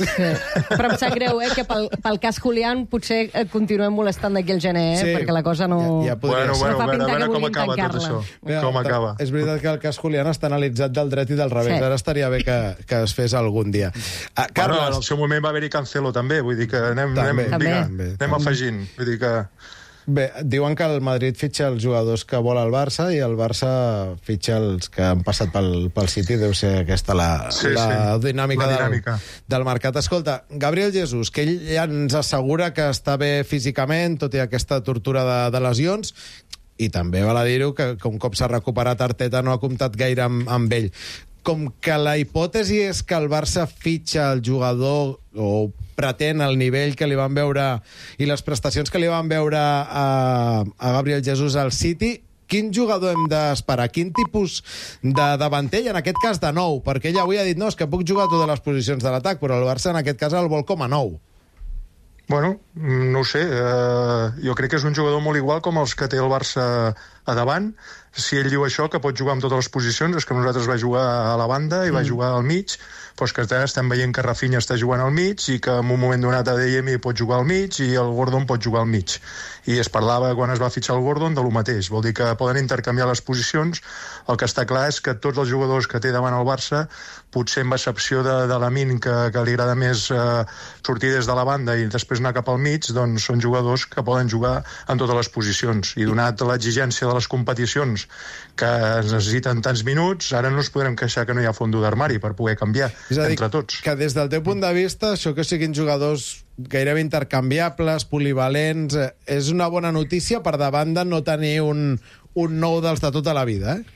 Però em sap greu, eh, que pel, pel cas Julián potser continuem molestant d'aquí el gener, eh, sí. perquè la cosa no... Ja, ja podria bueno, bueno, a veure, a veure com acaba tot això. Ja, com acaba. És veritat que el cas Julián està analitzat del dret i del revés. Sí. Ara estaria bé que, que es fes algun dia. Ah, Carles... Bueno, en el seu moment va haver-hi Cancelo també, vull dir que anem, també, anem, també. diga, també. anem afegint. Vull dir que Bé, diuen que el Madrid fitxa els jugadors que vol el Barça i el Barça fitxa els que han passat pel, pel City. Deu ser aquesta la, Sí, la sí, dinàmica, la dinàmica. Del, del mercat. Escolta, Gabriel Jesús, que ell ja ens assegura que està bé físicament, tot i aquesta tortura de, de lesions, i també val a dir-ho que, que un cop s'ha recuperat Arteta no ha comptat gaire amb, amb ell. Com que la hipòtesi és que el Barça fitxa el jugador o pretén el nivell que li van veure i les prestacions que li van veure a, a Gabriel Jesús al City, quin jugador hem d'esperar? Quin tipus de davanter? I en aquest cas de nou, perquè ell avui ha dit no, és que puc jugar a totes les posicions de l'atac, però el Barça en aquest cas el vol com a nou. Bueno, no ho sé, eh, jo crec que és un jugador molt igual com els que té el Barça a davant. Si ell diu això, que pot jugar en totes les posicions, és que nosaltres va jugar a la banda i va mm. jugar al mig, doncs que estem veient que Rafinha està jugant al mig i que en un moment donat A D M pot jugar al mig i el Gordon pot jugar al mig. I es parlava, quan es va fitxar el Gordon, de lo mateix. Vol dir que poden intercanviar les posicions. El que està clar és que tots els jugadors que té davant el Barça, potser amb excepció de, de l'Amin, que, que li agrada més eh, sortir des de la banda i després anar cap al mig, doncs són jugadors que poden jugar en totes les posicions. I donat l'exigència de les competicions que es necessiten tants minuts, ara no ens podrem queixar que no hi ha fondo d'armari per poder canviar és a dir, entre tots. Que des del teu punt de vista, això que siguin jugadors gairebé intercanviables, polivalents, eh, és una bona notícia per davant de no tenir un, un nou dels de tota la vida, eh?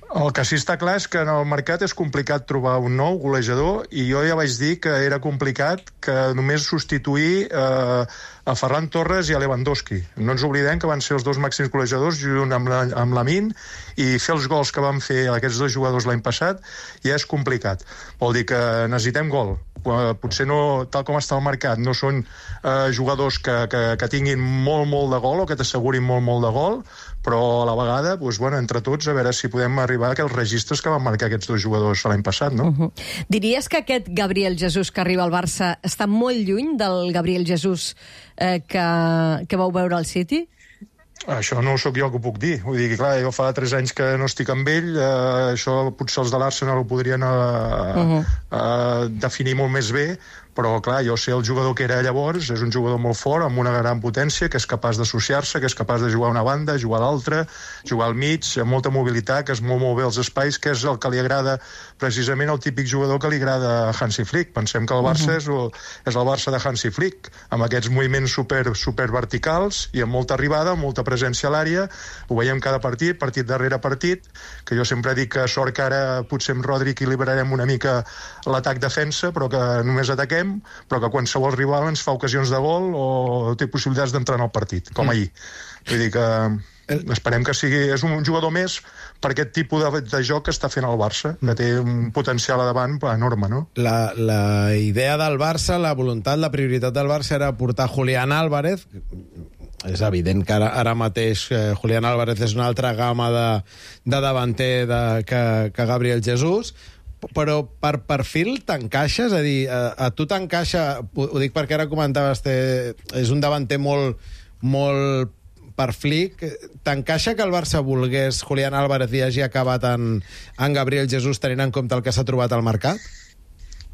El que sí està clar és que en el mercat és complicat trobar un nou golejador i jo ja vaig dir que era complicat que només substituir eh, a Ferran Torres i a Lewandowski. No ens oblidem que van ser els dos màxims golejadors junt amb la, amb Lamine i fer els gols que van fer aquests dos jugadors l'any passat ja és complicat. Vol dir que necessitem gol. Potser no, tal com està el mercat, no són eh, jugadors que, que, que tinguin molt, molt de gol o que t'assegurin molt, molt de gol, però a la vegada, doncs, bueno, entre tots, a veure si podem arribar a aquells registres que van marcar aquests dos jugadors l'any passat, no? Uh -huh. Diries que aquest Gabriel Jesús que arriba al Barça està molt lluny del Gabriel Jesús eh, que, que vau veure al City? Això no sóc jo el que ho puc dir. Vull dir que, clar, jo fa tres anys que no estic amb ell, eh, això potser els de l'Arsenal ho podrien eh, uh -huh. eh, definir molt més bé, però, clar, jo sé el jugador que era llavors, és un jugador molt fort, amb una gran potència, que és capaç d'associar-se, que és capaç de jugar a una banda, jugar a l'altra, jugar al mig, amb molta mobilitat, que es mou molt bé els espais, que és el que li agrada, precisament el típic jugador que li agrada a Hansi Flick. Pensem que el Barça uh -huh. és, és el Barça de Hansi Flick, amb aquests moviments super, super verticals i amb molta arribada, amb molta presència a l'àrea. Ho veiem cada partit, partit darrere partit, que jo sempre dic que sort que ara potser amb Rodri equilibrarem una mica l'atac-defensa, però que només ataquem, però que qualsevol rival ens fa ocasions de gol o té possibilitats d'entrar en el partit, com ahir. Vull dir que esperem que sigui... És un jugador més per aquest tipus de, de joc que està fent el Barça, que té un potencial a davant enorme, no? La, la idea del Barça, la voluntat, la prioritat del Barça era portar Julián Álvarez. És evident que ara, ara mateix eh, Julián Álvarez és una altra gamma de, de davanter de, que, que Gabriel Jesús, però per perfil t'encaixa? És a dir, a, a tu t'encaixa, ho dic perquè ara comentaves, té, és un davanter molt, molt per Flick, t'encaixa que el Barça volgués Julián Álvarez i hagi acabat en, en Gabriel Jesús tenint en compte el que s'ha trobat al mercat?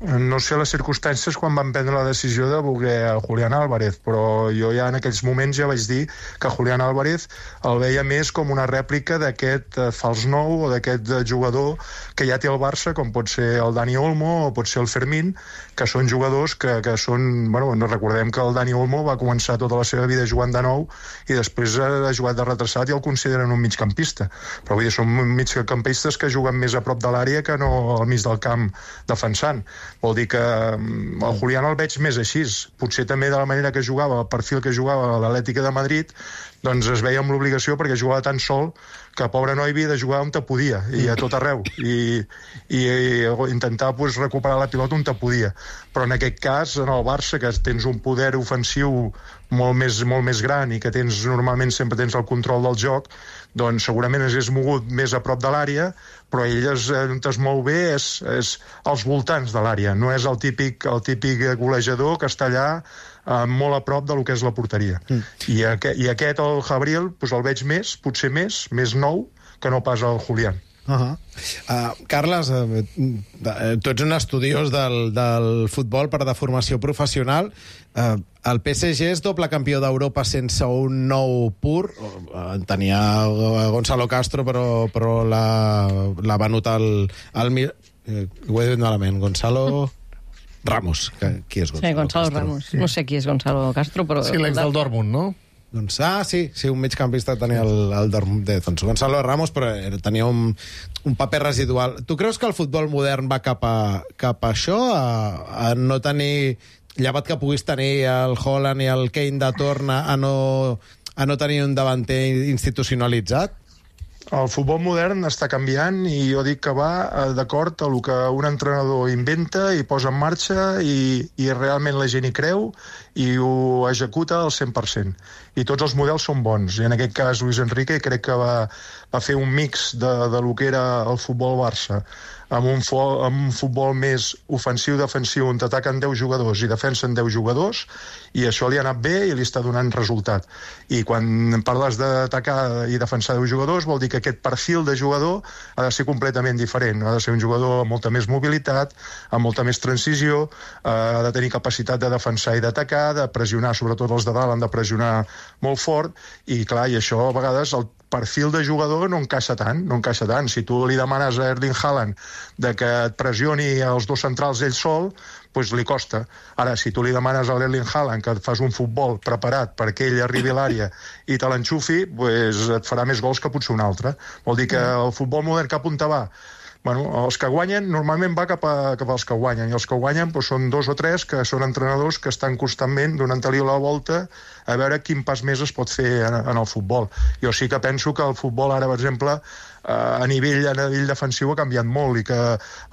No sé les circumstàncies quan van prendre la decisió de voler a Julián Álvarez, però jo ja en aquells moments ja vaig dir que Julián Álvarez el veia més com una rèplica d'aquest eh, fals nou o d'aquest eh, jugador que ja té el Barça, com pot ser el Dani Olmo o pot ser el Fermín, que són jugadors que, que són... Bueno, no recordem que el Dani Olmo va començar tota la seva vida jugant de nou i després ha jugat de retrasat i el consideren un migcampista. Però vull dir, són migcampistes que juguen més a prop de l'àrea que no al mig del camp defensant. Vol dir que el Julián el veig més així. Potser també de la manera que jugava, el perfil que jugava a l'Atlètica de Madrid, doncs es veia amb l'obligació perquè jugava tan sol que el pobre noi havia de jugar on te podia, i a tot arreu, i, i, i intentar pues, recuperar la pilota on te podia. Però en aquest cas, en el Barça, que tens un poder ofensiu molt més, molt més gran i que tens normalment sempre tens el control del joc, doncs segurament es és mogut més a prop de l'àrea, però ell es, on es mou bé és, és als voltants de l'àrea, no és el típic, el típic golejador que està allà eh, molt a prop del que és la porteria. Mm. I, aqu I aquest, el Gabriel, doncs el veig més, potser més, més nou, que no pas el Julián. Uh -huh. uh, Carles, uh, tu ets un estudiós del, del futbol per de formació professional. Uh, el P S G és doble campió d'Europa sense un nou pur. Uh, tenia Gonzalo Castro, però, però l'ha venut al... al eh, ho he dit malament. Gonzalo... Ramos. Que, qui és Gonzalo? Sí, Gonzalo Castro? Ramos. Sí. No sé qui és Gonzalo Castro, però... Sí, l'ex del Dortmund, no? Doncs, ah, sí, sí, un migcampista tenia el, el Dortmund de doncs, Gonzalo Ramos, però tenia un, un paper residual. Tu creus que el futbol modern va cap a, cap a això? A, a no tenir... Llevat que puguis tenir el Haaland i el Kane de torn a no, a no tenir un davanter institucionalitzat? El futbol modern està canviant i jo dic que va d'acord a el que un entrenador inventa i posa en marxa i, i realment la gent hi creu i ho executa al cent per cent. I tots els models són bons. I en aquest cas Luis Enrique crec que va, va fer un mix de, de lo que era el futbol Barça amb un, fo, amb un futbol més ofensiu-defensiu on t'ataquen deu jugadors i defensen deu jugadors, i això li ha anat bé i li està donant resultat. I quan parles d'atacar i defensar deu jugadors vol dir que aquest perfil de jugador ha de ser completament diferent. Ha de ser un jugador amb molta més mobilitat, amb molta més transició, ha de tenir capacitat de defensar i d'atacar, de pressionar, sobretot els de dalt han de pressionar molt fort, i clar, i això a vegades el perfil de jugador no encaixa tant, no encaixa tant. Si tu li demanes a Erling Haaland de que et pressioni els dos centrals ell sol, doncs li costa. Ara, si tu li demanes a l'Erling Haaland que et fas un futbol preparat perquè ell arribi a l'àrea i te l'enxufi, doncs et farà més gols que potser un altre. Vol dir que el futbol modern cap on te va? Bueno, els que guanyen normalment va cap, a, cap als que guanyen, i els que guanyen doncs, són dos o tres que són entrenadors que estan constantment donant-li la volta a veure quin pas més es pot fer en, en el futbol. Jo sí que penso que el futbol ara, per exemple, a nivell, a nivell defensiu ha canviat molt i que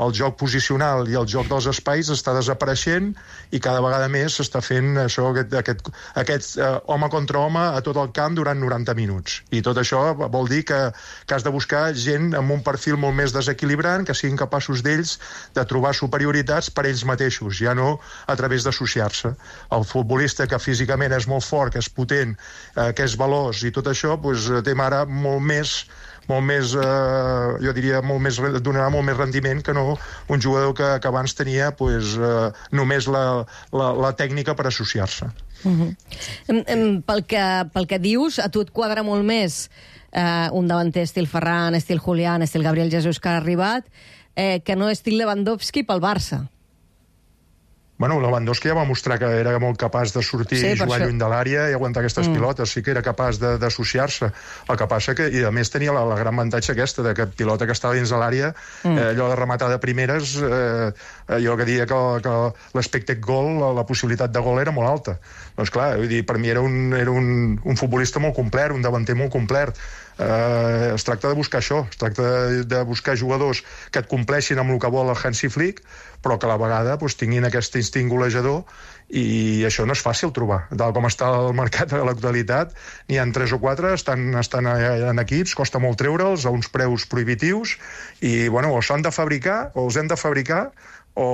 el joc posicional i el joc dels espais està desapareixent i cada vegada més s'està fent això, aquest, aquest, aquest uh, home contra home a tot el camp durant noranta minuts. I tot això vol dir que, que has de buscar gent amb un perfil molt més desequilibrant, que siguin capaços d'ells de trobar superioritats per ells mateixos, ja no a través d'associar-se. El futbolista que físicament és molt fort, que és potent, eh, que és veloç i tot això, doncs, té ara molt més molt més, eh, jo diria, molt més, donarà molt més rendiment que no un jugador que, que abans tenia pues, eh, només la, la, la tècnica per associar-se. Uh-huh. Pel que, pel que dius, a tu et quadra molt més eh, un davanter estil Ferran, estil Julián, estil Gabriel Jesús que ha arribat, eh, que no estil Lewandowski pel Barça. Bueno, Lewandowski ja va mostrar que era molt capaç de sortir sí, i jugar això. Lluny de l'àrea i aguantar aquestes mm. pilotes. Sí que era capaç d'associar-se. El que passa que, i a més tenia la, la gran avantatge aquesta, de que pilota que estava dins de l'àrea, mm. eh, allò de rematar de primeres, eh, jo que diria que, que l'expected goal, la, la possibilitat de gol era molt alta. Doncs clar, vull dir, per mi era un, era un, un futbolista molt complet, un davanter molt complet. Eh, es tracta de buscar això, es tracta de, de buscar jugadors que et compleixin amb el que vol el Hansi Flick, però que a la vegada doncs, tinguin aquest instint golejador, i això no és fàcil trobar. Tal com està el mercat de l'actualitat, n'hi ha tres o quatre, estan, estan en equips, costa molt treure'ls a uns preus prohibitius, i bueno, o s'han de fabricar, o els hem de fabricar, o,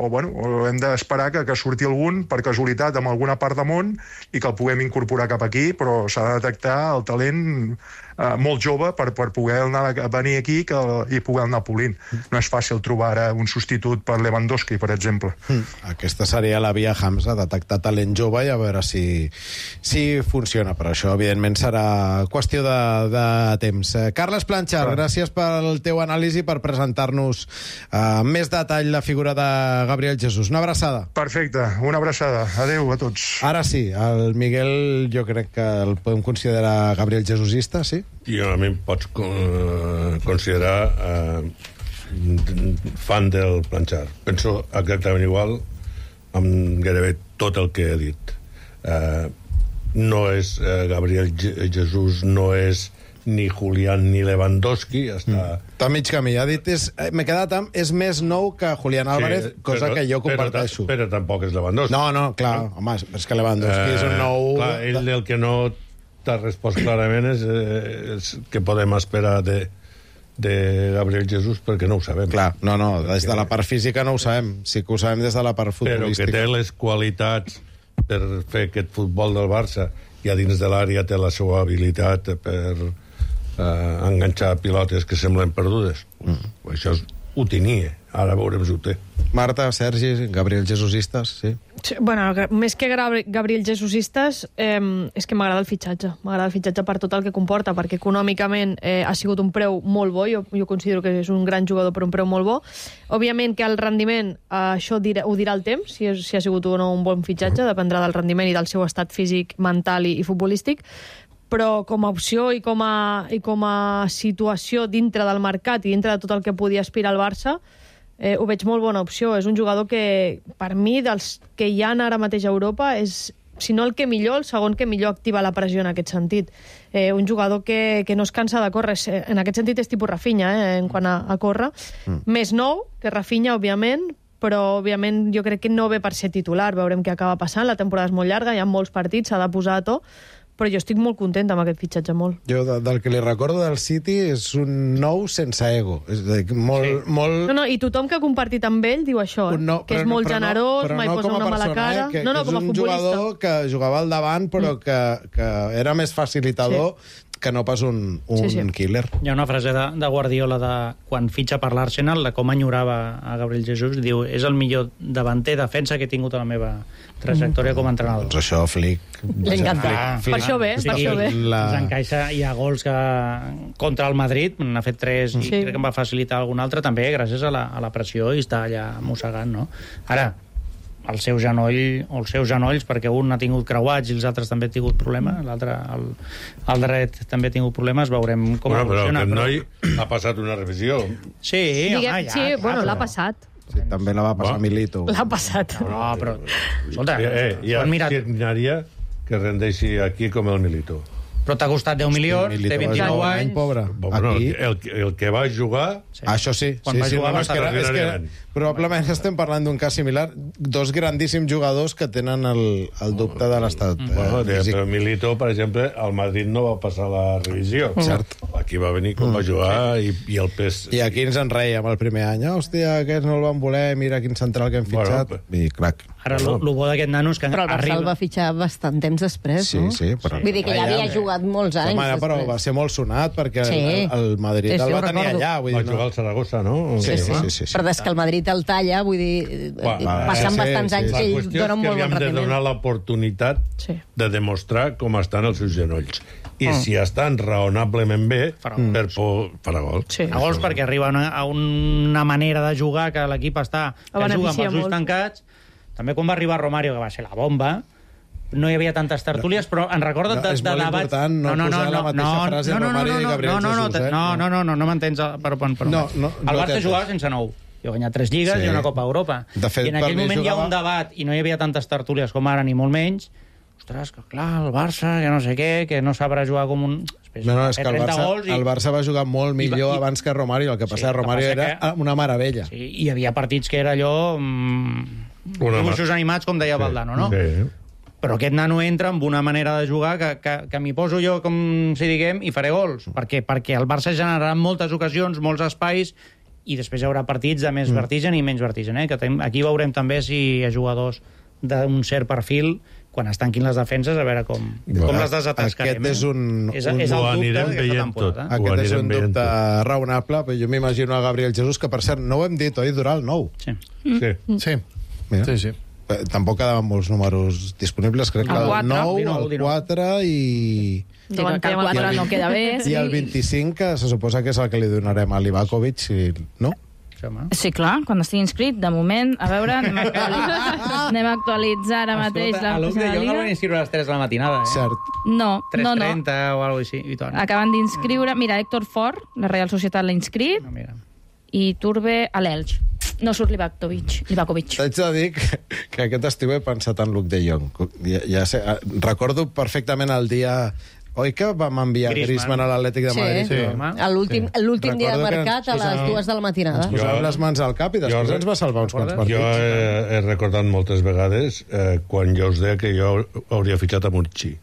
o, bueno, o hem d'esperar que, que surti algun per casualitat en alguna part del món i que el puguem incorporar cap aquí, però s'ha de detectar el talent eh, molt jove per, per poder anar a venir aquí que, i poder anar polint. No és fàcil trobar ara un substitut per Lewandowski, per exemple. Mm. Aquesta seria la via Hamza, detectar talent jove i a veure si, si funciona, però això evidentment serà qüestió de, de temps. Eh, Carles Planchar, ah. gràcies pel teu anàlisi, per presentar-nos eh, més detall la figura de Gabriel Jesús. Una abraçada. Perfecte, una abraçada. Adéu a tots. Ara sí, el Miguel jo crec que el podem considerar Gabriel Jesusista, sí? I a mi em pots considerar eh, fan del Planchar. Penso exactament igual amb gairebé tot el que he dit. Eh, no és eh, Gabriel Jesús, no és ni Julián ni Lewandowski, està... Mm. Està mig camí, ha dit, és, m'he quedat amb, és més nou que Julián Álvarez, sí, cosa però, que jo comparteixo. Però, però tampoc és Lewandowski. No, no, clar, no? Home, és que Lewandowski eh, és un nou... Clar, ell el que no t'ha respost clarament és, és que podem esperar de, de Gabriel Jesús, perquè no ho sabem. Clar, no, no, des de la part física no ho sabem, sí que ho sabem des de la part futbolística. Però que té les qualitats per fer aquest futbol del Barça, i a dins de l'àrea té la seva habilitat per... eh, enganxar pilotes que semblen perdudes. Mm. Això és, ho tenia, ara veurem si ho té. Marta, Sergi, Gabriel Jesusistes, sí. Sí, bueno, més que Gabri- Gabriel Jesusistes, eh, és que m'agrada el fitxatge. M'agrada el fitxatge per tot el que comporta, perquè econòmicament eh, ha sigut un preu molt bo, jo, jo considero que és un gran jugador per un preu molt bo. Òbviament que el rendiment, eh, això dirà, ho dirà el temps, si, és, si ha sigut o no un bon fitxatge, dependrà del rendiment i del seu estat físic, mental i, i futbolístic, però com a opció i com a, i com a situació dintre del mercat i dintre de tot el que podia aspirar el Barça, Eh, ho veig molt bona opció. És un jugador que, per mi, dels que hi ha ara mateix a Europa, és, si no el que millor, el segon que millor activa la pressió en aquest sentit. Eh, un jugador que, que no es cansa de córrer. En aquest sentit és tipus Rafinha, eh, en quant a, a córrer. Mm. Més nou que Rafinha, òbviament, però, òbviament, jo crec que no ve per ser titular. Veurem què acaba passant. La temporada és molt llarga, hi ha molts partits, s'ha de posar a to, però jo estic molt contenta amb aquest fitxatge, molt. Jo, de, del que li recordo del City, és un nou sense ego. És a dir, molt, sí. molt... No, no, i tothom que ha compartit amb ell diu això, eh? No, que és no, molt generós, no, mai no posa una persona, mala cara. Eh? Que, no, no, que com a és un futbolista. jugador que jugava al davant, però mm. que, que era més facilitador sí. que no pas un, un sí, sí. killer. Hi ha una frase de, de Guardiola de quan fitxa per l'Arsenal, de com enyorava a Gabriel Jesus, diu, és el millor davanter defensa que he tingut a la meva trajectòria com a entrenador. Doncs això, Flick... Li encanta. Per això bé, per això bé. La... Ens encaixa, hi ha gols que contra el Madrid, n'ha fet tres i sí. crec que em va facilitar algun altre, també gràcies a la, a la pressió i està allà mossegant, no? Ara, el seu genoll, o els seus genolls, perquè un ha tingut creuats i els altres també han tingut problemes, l'altre, el, el dret, també ha tingut problemes, veurem com bueno, evoluciona. Però aquest noi ha passat una revisió. Sí, Diguem, home, ja, sí, clar, bueno, però... l'ha passat. Sí, també la va passar a Milito. L'ha passat. No, però... Escolta, Eh, eh, ja mirat... signaria que rendeixi aquí com el Milito. Però t'ha costat deu milions, té vint-i-nou anys... Pobre. Bueno, Aquí... el, el que va jugar... Sí. Això sí. Quan sí, va sí jugar no, va és, que, estar és que probablement estem parlant d'un cas similar. Dos grandíssims jugadors que tenen el, el dubte de l'estat. Mm. Bueno, eh, però Milito, per exemple, al Madrid no va passar la revisió. Mm. Cert. Aquí va venir com va jugar i, i el pes... I aquí ens en reiem el primer any. Hòstia, aquests no el van voler, mira quin central que hem fitxat. Bueno, I crac. Ara, el bo d'aquest nano és que però el Barça arriba... el va fitxar bastant temps després, sí, no? Sí, però... Vull dir que ja havia jugat molts anys Home, després. Però va ser molt sonat, perquè sí. el, el Madrid sí, sí, el va tenir recordo. allà. Vull va dir, jugar no? al Saragossa, no? Sí, sí, sí, sí, sí. Però des que el Madrid el talla, vull dir, Va, passant sí, bastants sí, anys sí. que ell La qüestió dona és un que molt li bon hem de rendiment. donar l'oportunitat Sí. de demostrar com estan els seus genolls. I Mm. si estan raonablement bé, Farà per por... farà gol. Sí. A gols perquè arriba a una, a una manera de jugar que l'equip està... que juga amb beneficia els ulls molt. tancats. També quan va arribar Romario, que va ser la bomba, no hi havia tantes tertúlies, però en recordo No, de, és de molt debats... important no posar la mateixa frase Romario i Gabriel no, no, no, Jesus, eh? no, no, no, no, no m'entens. Però, però, però, No, no, el no Barça t'entens. jugava sense nou. Jo he guanyat tres lligues Sí. i una Copa Europa. De fet, I en per aquell mi moment hi ha jugava- un debat i no hi havia tantes tertúlies com ara, ni molt menys. Ostres, que clar, el Barça, que no sé què, que no sabrà jugar com un... Després, No, no, va és fer que el trenta Barça, gols i... el Barça va jugar molt millor I- abans que Romario. El que Sí, passa el que que Romario passa era que- una meravella. Sí, hi havia partits que era allò... Mm, Una dibuixos animats, com deia Valdano, no? Sí. Però aquest nano entra amb una manera de jugar que, que, que m'hi poso jo, com si diguem, i faré gols. Per què? Perquè el Barça generarà moltes ocasions, molts espais, i després hi haurà partits de més mm. vertigen i menys vertigen. Eh? Que tem, aquí veurem també si hi ha jugadors d'un cert perfil quan es tanquin les defenses, a veure com, Bueno, com les desatascarem. aquest és un- Eh? És, un- és el ho dubte anirem d'aquesta veient temporada. tot. Ho Aquest és anirem un veient dubte tot. raonable, però jo m'imagino a Gabriel Jesus, que per cert, no ho hem dit, oi, Dural? Nou. Sí. Sí. Sí, Mira. sí, sí. Eh, Tampoc quedaven molts números disponibles, crec que El el quatre, nou, dinou, el dinou. quatre i... Sí, que el quatre no queda bé. I el vint-i-cinc, que se suposa que és el que li donarem a Livakovic, si... no? Sí, home. Sí, clar, quan estigui inscrit, de moment, a veure, anem a actualitzar, anem a actualitzar ara mateix la a l'U de la jo no Lliga. van inscriure a les tres de la matinada, eh? Cert. No, tres no, no. trenta o alguna cosa així. I tant. Acaben d'inscriure... Mira, Héctor Fort, la Real Societat l'ha inscrit, No, mira. i Turbe a l'Elx. No surt Livakovic. Livakovic. T'haig de dir que, que aquest estiu he pensat en Luke de Jong. Ja, ja sé, eh, recordo perfectament el dia... Oi que vam enviar Griezmann. Griezmann a l'Atlètic de Sí. Madrid? Sí. home. A l'últim Sí. l'últim dia de Recordo que mercat a ens les posàvem- dues de la matinada. Ens posàvem Jo- les mans al cap i després jo- ens va salvar uns quants partits. Jo he, he recordat moltes vegades eh, quan jo us deia que jo hauria fitxat a Monchi.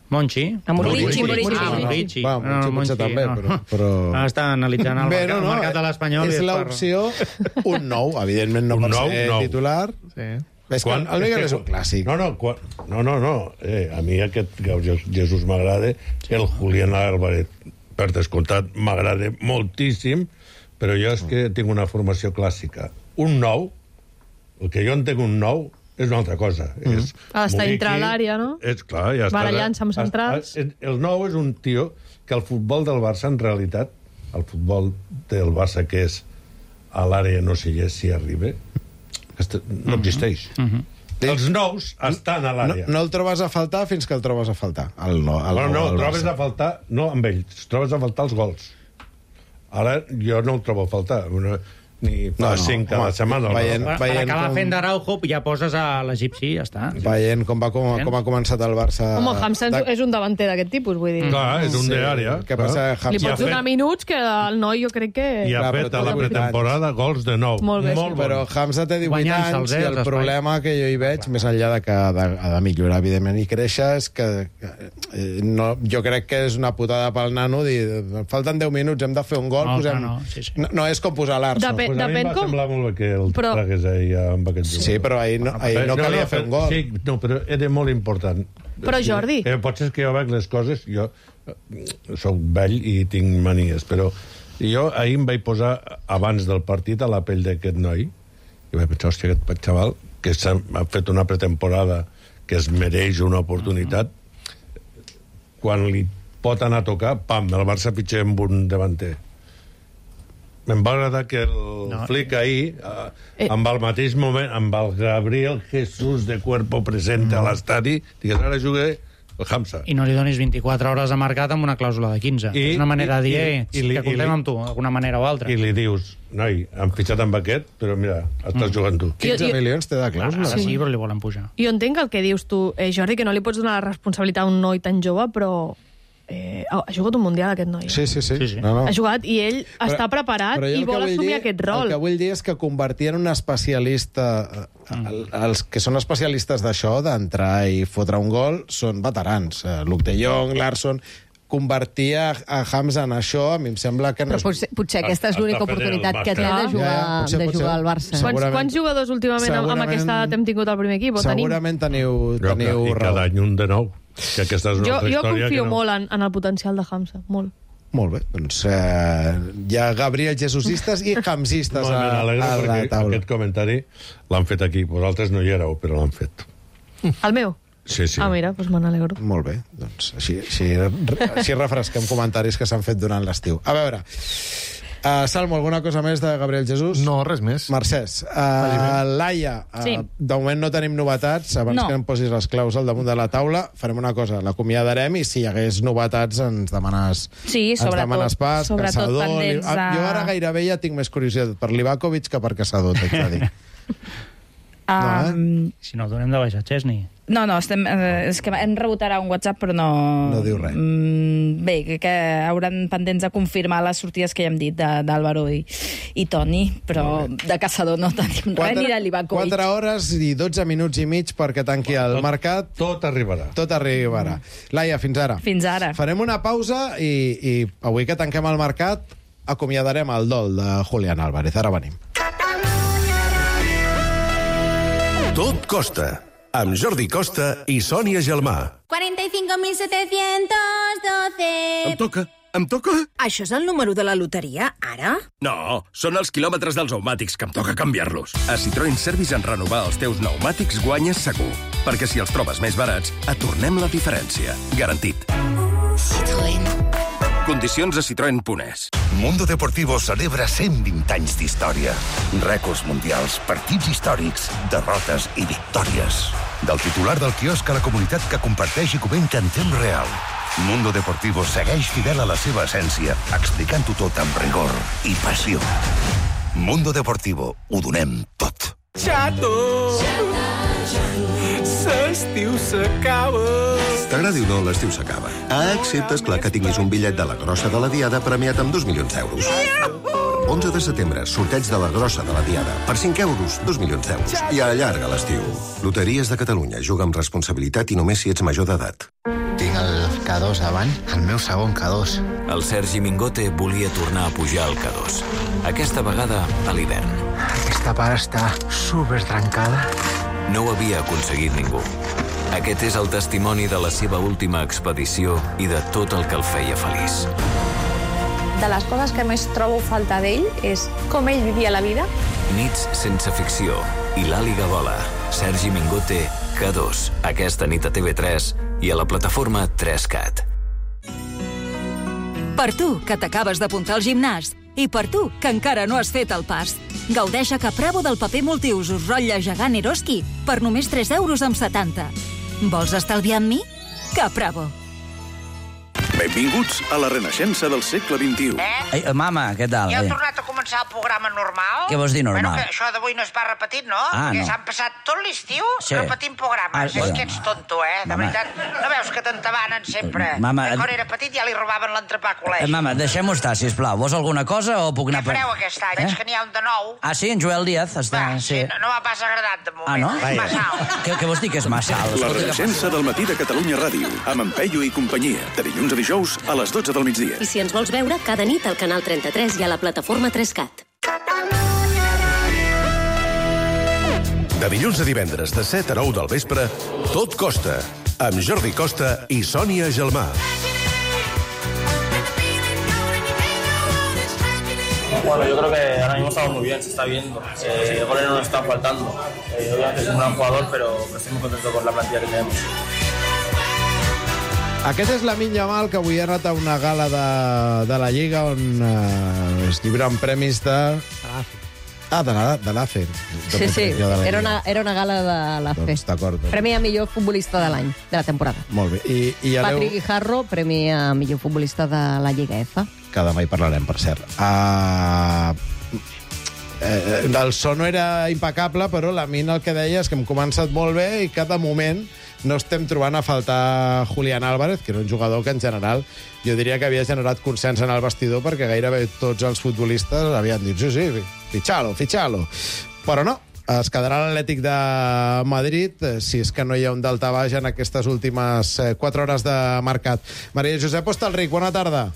Monchi? A Murici, Murici. Murici. Ah, Murici. Va, Monchi potser també, però- però- Ah, està analitzant el, Bé, mercat, el mercat de l'Espanyol. i és es l'opció un nou, evidentment no Un per nou, ser nou. titular. Sí. És que el Miguel és un clàssic. No, no, quan, no, no, no. Eh, a mi aquest Gabriel Jesús m'agrada, el Julián Álvarez, per descomptat, m'agrada moltíssim, però jo és que tinc una formació clàssica. Un nou, el que jo entenc un nou, és una altra cosa. Mm. És ha d'estar dintre l'àrea, no? És clar, ja està. Barallant-se amb centrals. El nou és un tio que el futbol del Barça, en realitat, el futbol del Barça que és a l'àrea no sé si arriba, no existeix. Mm-hmm. Els nous estan a l'àrea. No, no el trobes a faltar fins que el trobes a faltar. El no, el no, no, el el trobes Barça. a faltar, no amb ells, trobes a faltar els gols. Ara jo no el trobo a faltar. Una, ni fa no, no, cinc cada setmana. Veient, Per, veient per acabar com... fent d'Araujo, ja poses a l'egipci, ja està. Veient com, va, com, com ha començat el Barça... Home, Hamza de... és un davanter d'aquest tipus, vull dir. Clar, és un Sí. d'àrea. Què passa? Li pots donar minuts que el noi jo crec que... I ha Clar, fet però a la té pretemporada gols de nou. Molt bé, Molt sí. Però Hamza té divuit Guanyant-se'ls, anys eh, i els el espais. problema que jo hi veig, més enllà de que ha de, ha de millorar, evidentment, i créixer, és que eh, no, jo crec que és una putada pel nano dir, falten deu minuts, hem de fer un gol, No, posem... no, no, sí, sí. No, no és com posar l'Arso. Depèn- Pues a mi em depèn va com- semblar molt bé que el Però- tragués ahir amb aquest Sí, però ahir no, ahir no calia fer un gol. Sí, no, però era molt important. Però, Jordi... Eh, potser és que jo veig les coses, jo eh, soc vell i tinc manies, però jo ahir em vaig posar, abans del partit, a la pell d'aquest noi, i vaig pensar, hòstia, aquest xaval, que s'ha ha fet una pretemporada que es mereix una oportunitat, quan li pot anar a tocar, pam, el Barça pitxa amb un davanter. Me'n va agradar que el no. Flick ahir, eh, amb el mateix moment, amb el Gabriel Jesús de cuerpo presente mm. a l'estadi, digués, ara jugué el Hamza. I no li donis vint-i-quatre hores a mercat amb una clàusula de quinze. I, és una manera de dir, i, eh, i, i, que comptem i, amb tu, d'alguna manera o altra. I li dius, noi, han fitxat amb aquest, però mira, estàs mm. jugant tu. quinze milions té de clàusula. Ara sí, però li volen pujar. Jo entenc el que dius tu, eh, Jordi, que no li pots donar la responsabilitat a un noi tan jove, però eh, ha, ha jugat un Mundial, aquest noi. Sí, sí, sí. Sí, sí. No, no. Ha jugat i ell però, està preparat però i jo vol el que vull assumir dir- aquest rol. El que vull dir és que convertir en un especialista... Mm. Els que són especialistes d'això, d'entrar i fotre un gol, són veterans. Eh, Luke de Jong, Larsson... Convertir a, a Hamza en això, a mi em sembla que no... Però potser, potser aquesta és Està l'única fent el oportunitat que té màster. de jugar, Ja, ja, potser, de potser. jugar al Barça. Sí. Quants, segurament- quants jugadors últimament amb, amb segurament- aquesta edat hem tingut al primer equip? O tenim? Segurament teniu, Jo, teniu I raó. cada any un de nou. Que aquesta és una Jo, altra jo història confio que no... molt en, en el potencial de Hamza, molt. Molt bé, doncs eh, hi ha Gabriel Jesusistes i Hamzistes No, a, me n'alegro a la perquè taula. aquest comentari l'han fet aquí. Vosaltres no hi éreu, però l'han fet. El meu? Sí, sí. Ah, mira, doncs me n'alegro. Molt bé, doncs així, així, així refresquem comentaris que s'han fet durant l'estiu. A veure, uh, Salmo, alguna cosa més de Gabriel Jesús? No, res més. Mercès, uh, Laia, uh, Sí. de moment no tenim novetats. Abans No. que em posis les claus al damunt de la taula, farem una cosa, l'acomiadarem i si hi hagués novetats ens demanes, Sí, ens sobretot- demanes pas, sobretot Caçador... pendents Li... a- Jo ara gairebé ja tinc més curiositat per Livakovic que per Caçador, t'haig de dir. No, eh? Um, Si no, donem de baixa Chesney. No, no, estem, eh, és que hem rebut ara un WhatsApp, però no... No diu res. Mm, bé, que, que hauran pendents de confirmar les sortides que ja hem dit de- d'Àlvaro i, i Toni, però de Caçador no tenim res, ni de Livakovic. quatre hores i dotze minuts i mig perquè tanqui el Tot- mercat. Tot arribarà. Tot arribarà. Laia, fins ara. Fins ara. Farem una pausa i, i avui que tanquem el mercat acomiadarem el dol de Julián Álvarez. Ara venim. Tot costa, amb Jordi Costa i Sònia Gelmà. cuarenta y cinco mil setecientos doce. Em toca, em toca? Això és el número de la loteria, ara? No, són els quilòmetres dels pneumàtics que em toca canviar-los. A Citroën Service en renovar els teus pneumàtics guanyes segur. Perquè si els trobes més barats, et tornem la diferència. Garantit. Citroën. Condicions a citroen punt es. Mundo Deportivo celebra cent vint anys d'història. Rècords mundials, partits històrics, derrotes i victòries. Del titular del quiosc a la comunitat que comparteix i comenta en temps real. Mundo Deportivo segueix fidel a la seva essència, explicant-ho tot amb rigor i passió. Mundo Deportivo, ho donem tot. Xato! L'estiu s'acaba. T'agradi o no, l'estiu s'acaba. Ah, excepte, esclar, que tinguis un bitllet de la grossa de la Diada premiat amb dos milions d'euros. onze de setembre, sorteig de la grossa de la Diada. Per cinc euros, dos milions d'euros. I allarga l'estiu. Loteries de Catalunya. Juga amb responsabilitat i només si ets major d'edat. Tinc el K dos davant, el meu segon K dos. El Sergi Mingote volia tornar a pujar al K dos. Aquesta vegada a l'hivern. Aquesta part està super trencada. no ho havia aconseguit ningú. Aquest és el testimoni de la seva última expedició i de tot el que el feia feliç. De les coses que més trobo falta d'ell és com ell vivia la vida. Nits sense ficció i l'Ali Gabola, Sergi Mingote, K dos, aquesta nit a T V tres i a la plataforma tres cat. Per tu, que t'acabes d'apuntar al gimnàs, i per tu, que encara no has fet el pas. Gaudeix a Capravo del paper multiusos rotlle gegant Eroski per només tres euros amb setanta. Vols estalviar amb mi? Capravo. Benvinguts a la renaixença del segle vint-i-u. Eh? Ei, mama, què tal? Ja heu tornat a començar el programa normal? Què vols dir normal? Bueno, que això d'avui no es va repetit, no? Ah, Perquè no. s'han passat tot l'estiu Sí. repetint programes. Ah, és bueno. que ets tonto, eh? De Mama. veritat. No veus que t'entabanen sempre? Mama, Que quan et- era petit ja li robaven l'entrepà a Eh, col·legi. mama, deixem-ho estar, sisplau. Vols alguna cosa o puc anar... Què fareu aquest any? Eh? Veig que n'hi ha un de nou. Ah, sí, en Joel Díaz està... Va, sí, no, no m'ha pas agradat de moment. Ah, no? És massa alt. Què, què vols dir que és massa alt? La Escolta, què renaixença del matí de Catalunya Ràdio, amb en Peyu i companyia, de dilluns a dijous a les dotze del migdia. I si ens vols veure, cada nit al canal trenta-tres i a la plataforma tres cat. De dilluns a divendres, de set a nou del vespre, Tot Costa, amb Jordi Costa i Sònia Gelmà. Bueno, yo creo que ahora mismo estamos muy bien, se está viendo. Eh, goles no nos están faltando. Eh, obviamente es un gran jugador, pero estoy muy contento con la plantilla que tenemos. Aquest és Lamine Yamal, que avui ha anat a una gala de, de la Lliga on eh, es lliuren premis de... Ah, de la- de l'A F E. Sí, sí, De la era Lliga. una, era una gala de la F E. Doncs d'acord. doncs. Premi a millor futbolista de l'any, de la temporada. Molt bé. I, i aneu... Patrick Guijarro, premi a millor futbolista de la Lliga F. Que demà hi parlarem, per cert. Uh, eh, el so no era impecable, però la mina el que deia és que hem començat molt bé i que de moment no estem trobant a faltar Julián Álvarez, que era un jugador que en general jo diria que havia generat consens en el vestidor perquè gairebé tots els futbolistes havien dit sí, sí, fitxalo, fitxalo. Però no, es quedarà l'Atlètic de Madrid eh, si és que no hi ha un daltabaix en aquestes últimes eh, quatre hores de mercat. Maria Josep Hostalric, bona tarda.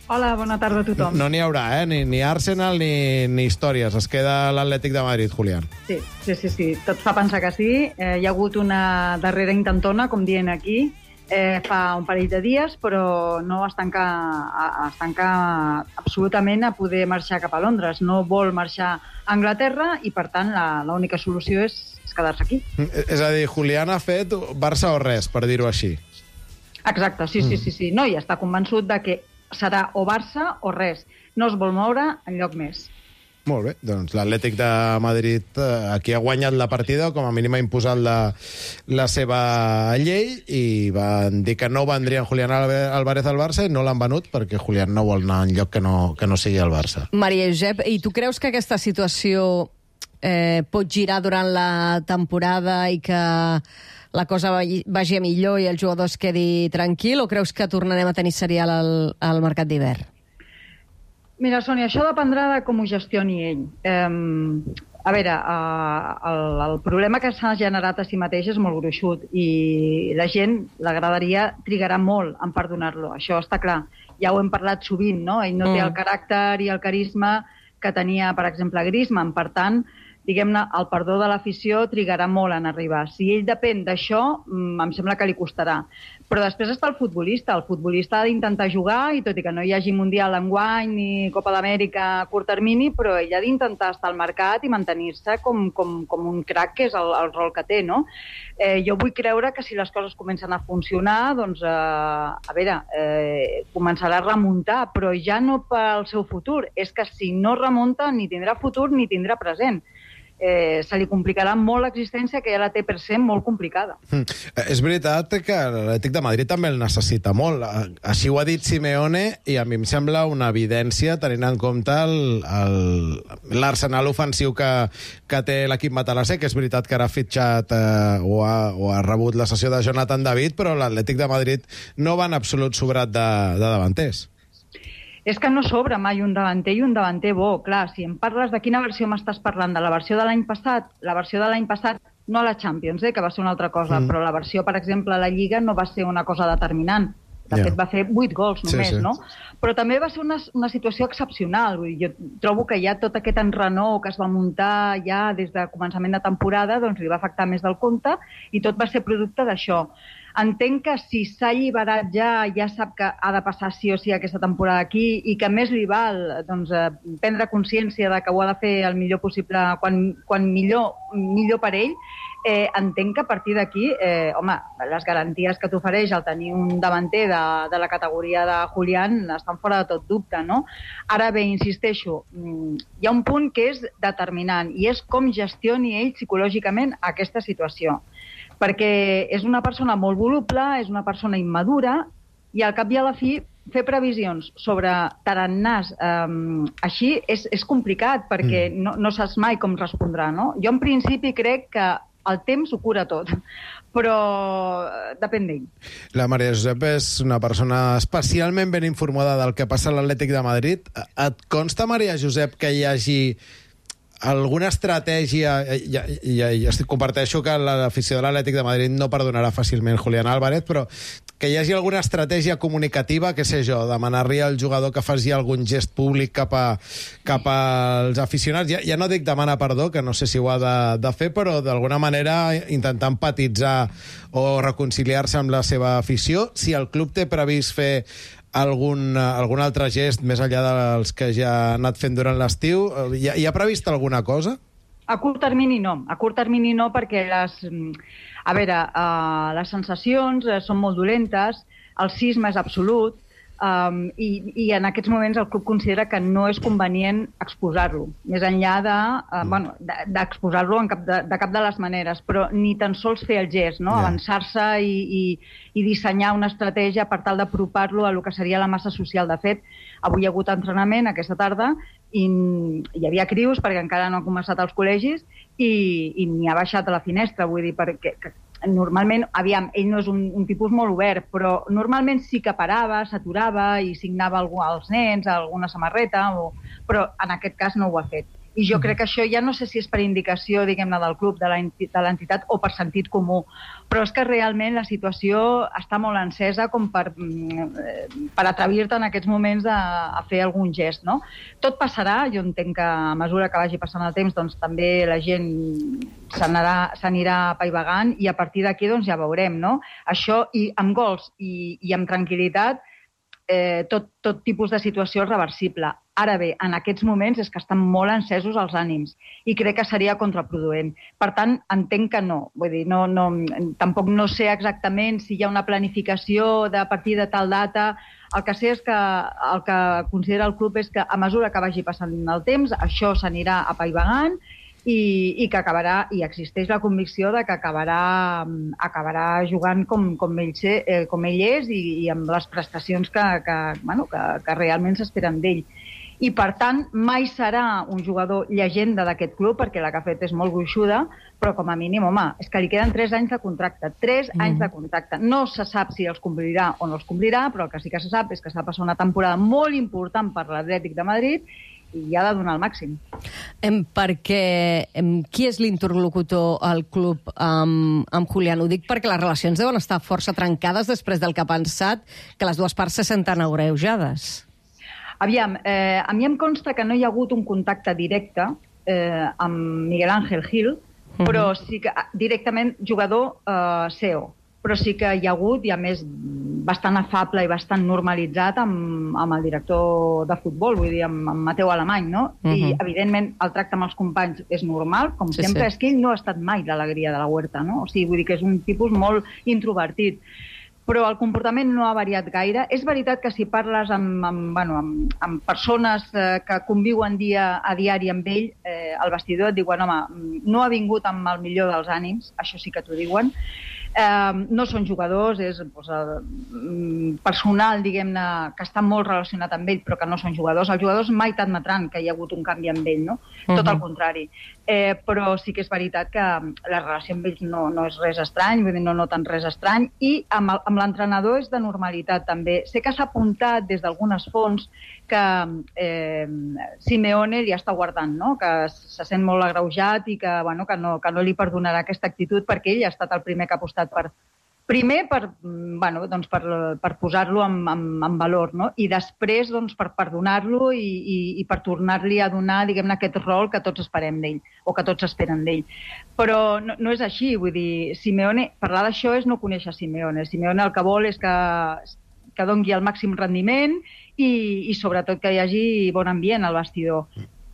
Hola, bona tarda a tothom. No n'hi haurà, eh? Ni, ni Arsenal ni, ni històries. Es queda l'Atlètic de Madrid, Julián. Sí, sí, sí, sí. Tot fa pensar que sí. Eh, hi ha hagut una darrera intentona, com dient aquí, eh, fa un parell de dies, però no es tanca, a, es tanca absolutament a poder marxar cap a Londres. No vol marxar a Anglaterra i, per tant, la- l'única solució és, és quedar-se aquí. És a dir, Julián ha fet Barça o res, per dir-ho així. Exacte, sí, sí, sí, sí. No, i està convençut de que serà o Barça o res. No es vol moure enlloc més. Molt bé, doncs l'Atlètic de Madrid eh, aquí ha guanyat la partida, o com a mínim ha imposat la, la seva llei, i van dir que no vendrien Julián Alve- Álvarez al Barça i no l'han venut perquè Julián no vol anar enlloc que no, que no sigui el Barça. Maria Josep, i tu creus que aquesta situació eh, pot girar durant la temporada i que la cosa vagi vagi a millor i el jugador es quedi tranquil, o creus que tornarem a tenir serial al, al mercat d'hivern? Mira, Sònia, això dependrà de com ho gestioni ell. Eh, a veure, eh, el, el problema que s'ha generat a si mateix és molt gruixut i la gent l'agradaria, trigarà molt en perdonar-lo, això està clar. Ja ho hem parlat sovint, no? Ell no té Mm. el caràcter i el carisma que tenia, per exemple, Griezmann. Per tant, diguem-ne, el perdó de l'afició trigarà molt en arribar. Si ell depèn d'això, mm, em sembla que li costarà. Però després està el futbolista. El futbolista ha d'intentar jugar, i tot i que no hi hagi Mundial enguany ni Copa d'Amèrica a curt termini, però ell ha d'intentar estar al mercat i mantenir-se com, com, com un crac, que és el, el rol que té, no? Eh, jo vull creure que si les coses comencen a funcionar, doncs, eh, a veure, eh, començarà a remuntar, però ja no pel seu futur. És que si no remunta, ni tindrà futur ni tindrà present. Eh, se li complicarà molt l'existència, que ja la té per ser molt complicada. Mm. Eh, És veritat que l'Atlètic de Madrid també el necessita molt. Eh, Així ho ha dit Simeone, i a mi em sembla una evidència tenint en compte el- el- l'Arsenal ofensiu que, que té l'equip matalasser, que és veritat que ara ha fitxat eh, o, ha, o ha rebut la cessió de Jonathan David, però l'Atlètic de Madrid no va en absolut sobrat de, de davanters. És que no sobra mai un davanter i un davanter bo. Clar, si em parles de quina versió m'estàs parlant, de la versió de l'any passat, la versió de l'any passat, no a la Champions, eh, que va ser una altra cosa, Mm. però la versió, per exemple, a la Lliga no va ser una cosa determinant. De Ja. fet, va fer vuit gols Sí, només, sí. no? Però també va ser una, una situació excepcional. Vull dir, jo trobo que ja tot aquest enrenou que es va muntar ja des de començament de temporada doncs li va afectar més del compte i tot va ser producte d'això. Entenc que si s'ha alliberat ja, ja sap que ha de passar sí o sí aquesta temporada aquí i que més li val doncs, eh, prendre consciència de que ho ha de fer el millor possible, quan, quan millor, millor per ell, eh, entenc que a partir d'aquí, eh, home, les garanties que t'ofereix el tenir un davanter de, de la categoria de Julián estan fora de tot dubte, no? Ara bé, insisteixo, mm, hi ha un punt que és determinant i és com gestioni ell psicològicament aquesta situació. Perquè és una persona molt voluble, és una persona immadura, i al cap i a la fi fer previsions sobre tarannàs eh, així és, és complicat, perquè mm. no, no saps mai com respondrà, no? Jo en principi crec que el temps ho cura tot, però depèn d'ell. La Maria Josep és una persona especialment ben informada del que passa a l'Atlètic de Madrid. Et consta, Maria Josep, que hi hagi alguna estratègia, i, i, i estic, comparteixo que l'afició de l'Atlètic de Madrid no perdonarà fàcilment Julián Álvarez, però que hi hagi alguna estratègia comunicativa, què sé jo, demanar-li al jugador que faci algun gest públic cap, a, cap als aficionats. Ja, ja no dic demanar perdó, que no sé si ho ha de, de fer, però d'alguna manera intentar empatitzar o reconciliar-se amb la seva afició. Si el club té previst fer algun, algun altre gest més enllà dels que ja ha anat fent durant l'estiu, hi, hi ha previst alguna cosa? A curt termini no. A curt termini no, perquè les, a veure, uh, les sensacions uh, són molt dolentes, el sisme és absolut, um, i, i en aquests moments el club considera que no és convenient exposar-lo, més enllà de, uh, bueno, d'exposar-lo en cap de, de cap de les maneres, però ni tan sols fer el gest, no? Yeah. Avançar-se i, i, i dissenyar una estratègia per tal d'apropar-lo a lo que seria la massa social. De fet, avui hi ha hagut entrenament aquesta tarda i hi havia crius perquè encara no han començat els col·legis i, i n'hi ha baixat a la finestra, vull dir, perquè que, normalment, aviam, ell no és un, un tipus molt obert, però normalment sí que parava, s'aturava i signava algú als nens, alguna samarreta, o, però en aquest cas no ho ha fet. I jo crec que això ja no sé si és per indicació, diguem-ne, del club, de l'entitat o per sentit comú, però és que realment la situació està molt encesa com per, per atrevir-te en aquests moments a, a fer algun gest, no? Tot passarà, jo entenc que a mesura que vagi passant el temps, doncs també la gent s'anirà apaivagant i a partir d'aquí doncs ja veurem, no? Això, i amb gols i, i amb tranquil·litat, eh, tot, tot tipus de situació és reversible. Ara bé, en aquests moments és que estan molt encesos els ànims i crec que seria contraproduent. Per tant, entenc que no. Vull dir, no, no, tampoc no sé exactament si hi ha una planificació de a partir de tal data. El que sé és que el que considera el club és que a mesura que vagi passant el temps, això s'anirà apaivagant i, i que acabarà, i existeix la convicció de que acabarà, acabarà jugant com, com, ell, sé, eh, com ell és i, i amb les prestacions que, que, bueno, que, que realment s'esperen d'ell. I, per tant, mai serà un jugador llegenda d'aquest club, perquè la que ha fet és molt gruixuda, però com a mínim, home, és que li queden tres anys de contracte. Tres mm. anys de contracte. No se sap si els complirà o no els complirà, però el que sí que se sap és que s'ha passat una temporada molt important per l'Atlètic de Madrid i ha de donar el màxim. Em, perquè em, qui és l'interlocutor al club amb, amb Julián? Ho dic perquè les relacions deuen estar força trencades després del que ha pensat, que les dues parts se senten agreujades. Aviam, eh, a mi em consta que no hi ha hagut un contacte directe eh, amb Miguel Ángel Gil, uh-huh. però sí que directament jugador eh, C E O, però sí que hi ha hagut, i a més bastant afable i bastant normalitzat amb, amb el director de futbol, vull dir, amb, amb Mateu Alemany, no? Uh-huh. I, evidentment, el tracte amb els companys és normal, com sí, sempre, sí. És que ell no ha estat mai l'alegria de la Huerta, no? O sigui, vull dir que és un tipus molt introvertit. Però el comportament no ha variat gaire. És veritat que si parles amb, amb, bueno, amb, amb persones eh, que conviuen dia a diari amb ell, eh, al vestidor et diuen, home, no ha vingut amb el millor dels ànims, això sí que t'ho diuen. Eh, no són jugadors, és doncs, el personal, diguem-ne, que està molt relacionat amb ell, però que no són jugadors. Els jugadors mai t'admetran que hi ha hagut un canvi amb ell, no? Uh-huh. Tot el contrari. Eh, però sí que és veritat que la relació amb ells no, no és res estrany, vull dir, no noten res estrany, i amb, el, amb l'entrenador és de normalitat també. Sé que s'ha apuntat des d'algunes fonts que eh, Simeone li està guardant, no? Que se sent molt agreujat i que, bueno, que, no, que no li perdonarà aquesta actitud perquè ell ha estat el primer que ha apostat per, Primer per, bueno, doncs per, per posar-lo en, en, en valor, no? I després doncs, per perdonar-lo i, i, i per tornar-li a donar, diguem-ne, aquest rol que tots esperem d'ell, o que tots esperen d'ell. Però no, no és així, vull dir, Simeone, parlar d'això és no conèixer Simeone. Simeone el que vol és que, que doni el màxim rendiment i, i sobretot que hi hagi bon ambient al vestidor.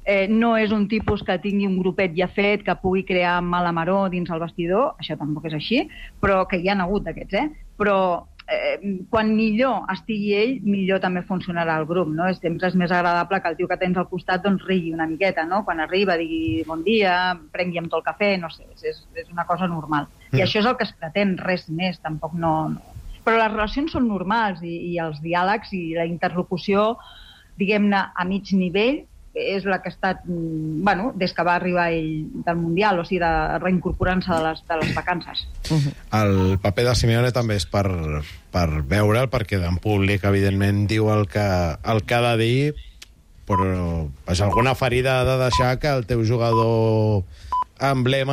Eh, no és un tipus que tingui un grupet ja fet, que pugui crear mala maror dins el vestidor, això tampoc és així, però que hi ha hagut d'aquests, eh? Però eh, quan millor estigui ell, millor també funcionarà el grup, no? Sempre és més agradable que el tio que tens al costat doncs rigui una miqueta, no? Quan arriba digui bon dia, prengui amb tot el cafè, no sé, és, és una cosa normal. Mm. I això és el que es pretén, res més, tampoc no... no. Però les relacions són normals i, i els diàlegs i la interlocució, diguem-ne, a mig nivell, és la que ha estat, bueno, des que va arribar ell del Mundial, o sigui, de reincorporant-se de les, de les vacances. Uh-huh. El paper de Simeone també és per, per veure'l, perquè en públic, evidentment, diu el que, el que ha de dir, però pues, alguna ferida ha de deixar que el teu jugador emblema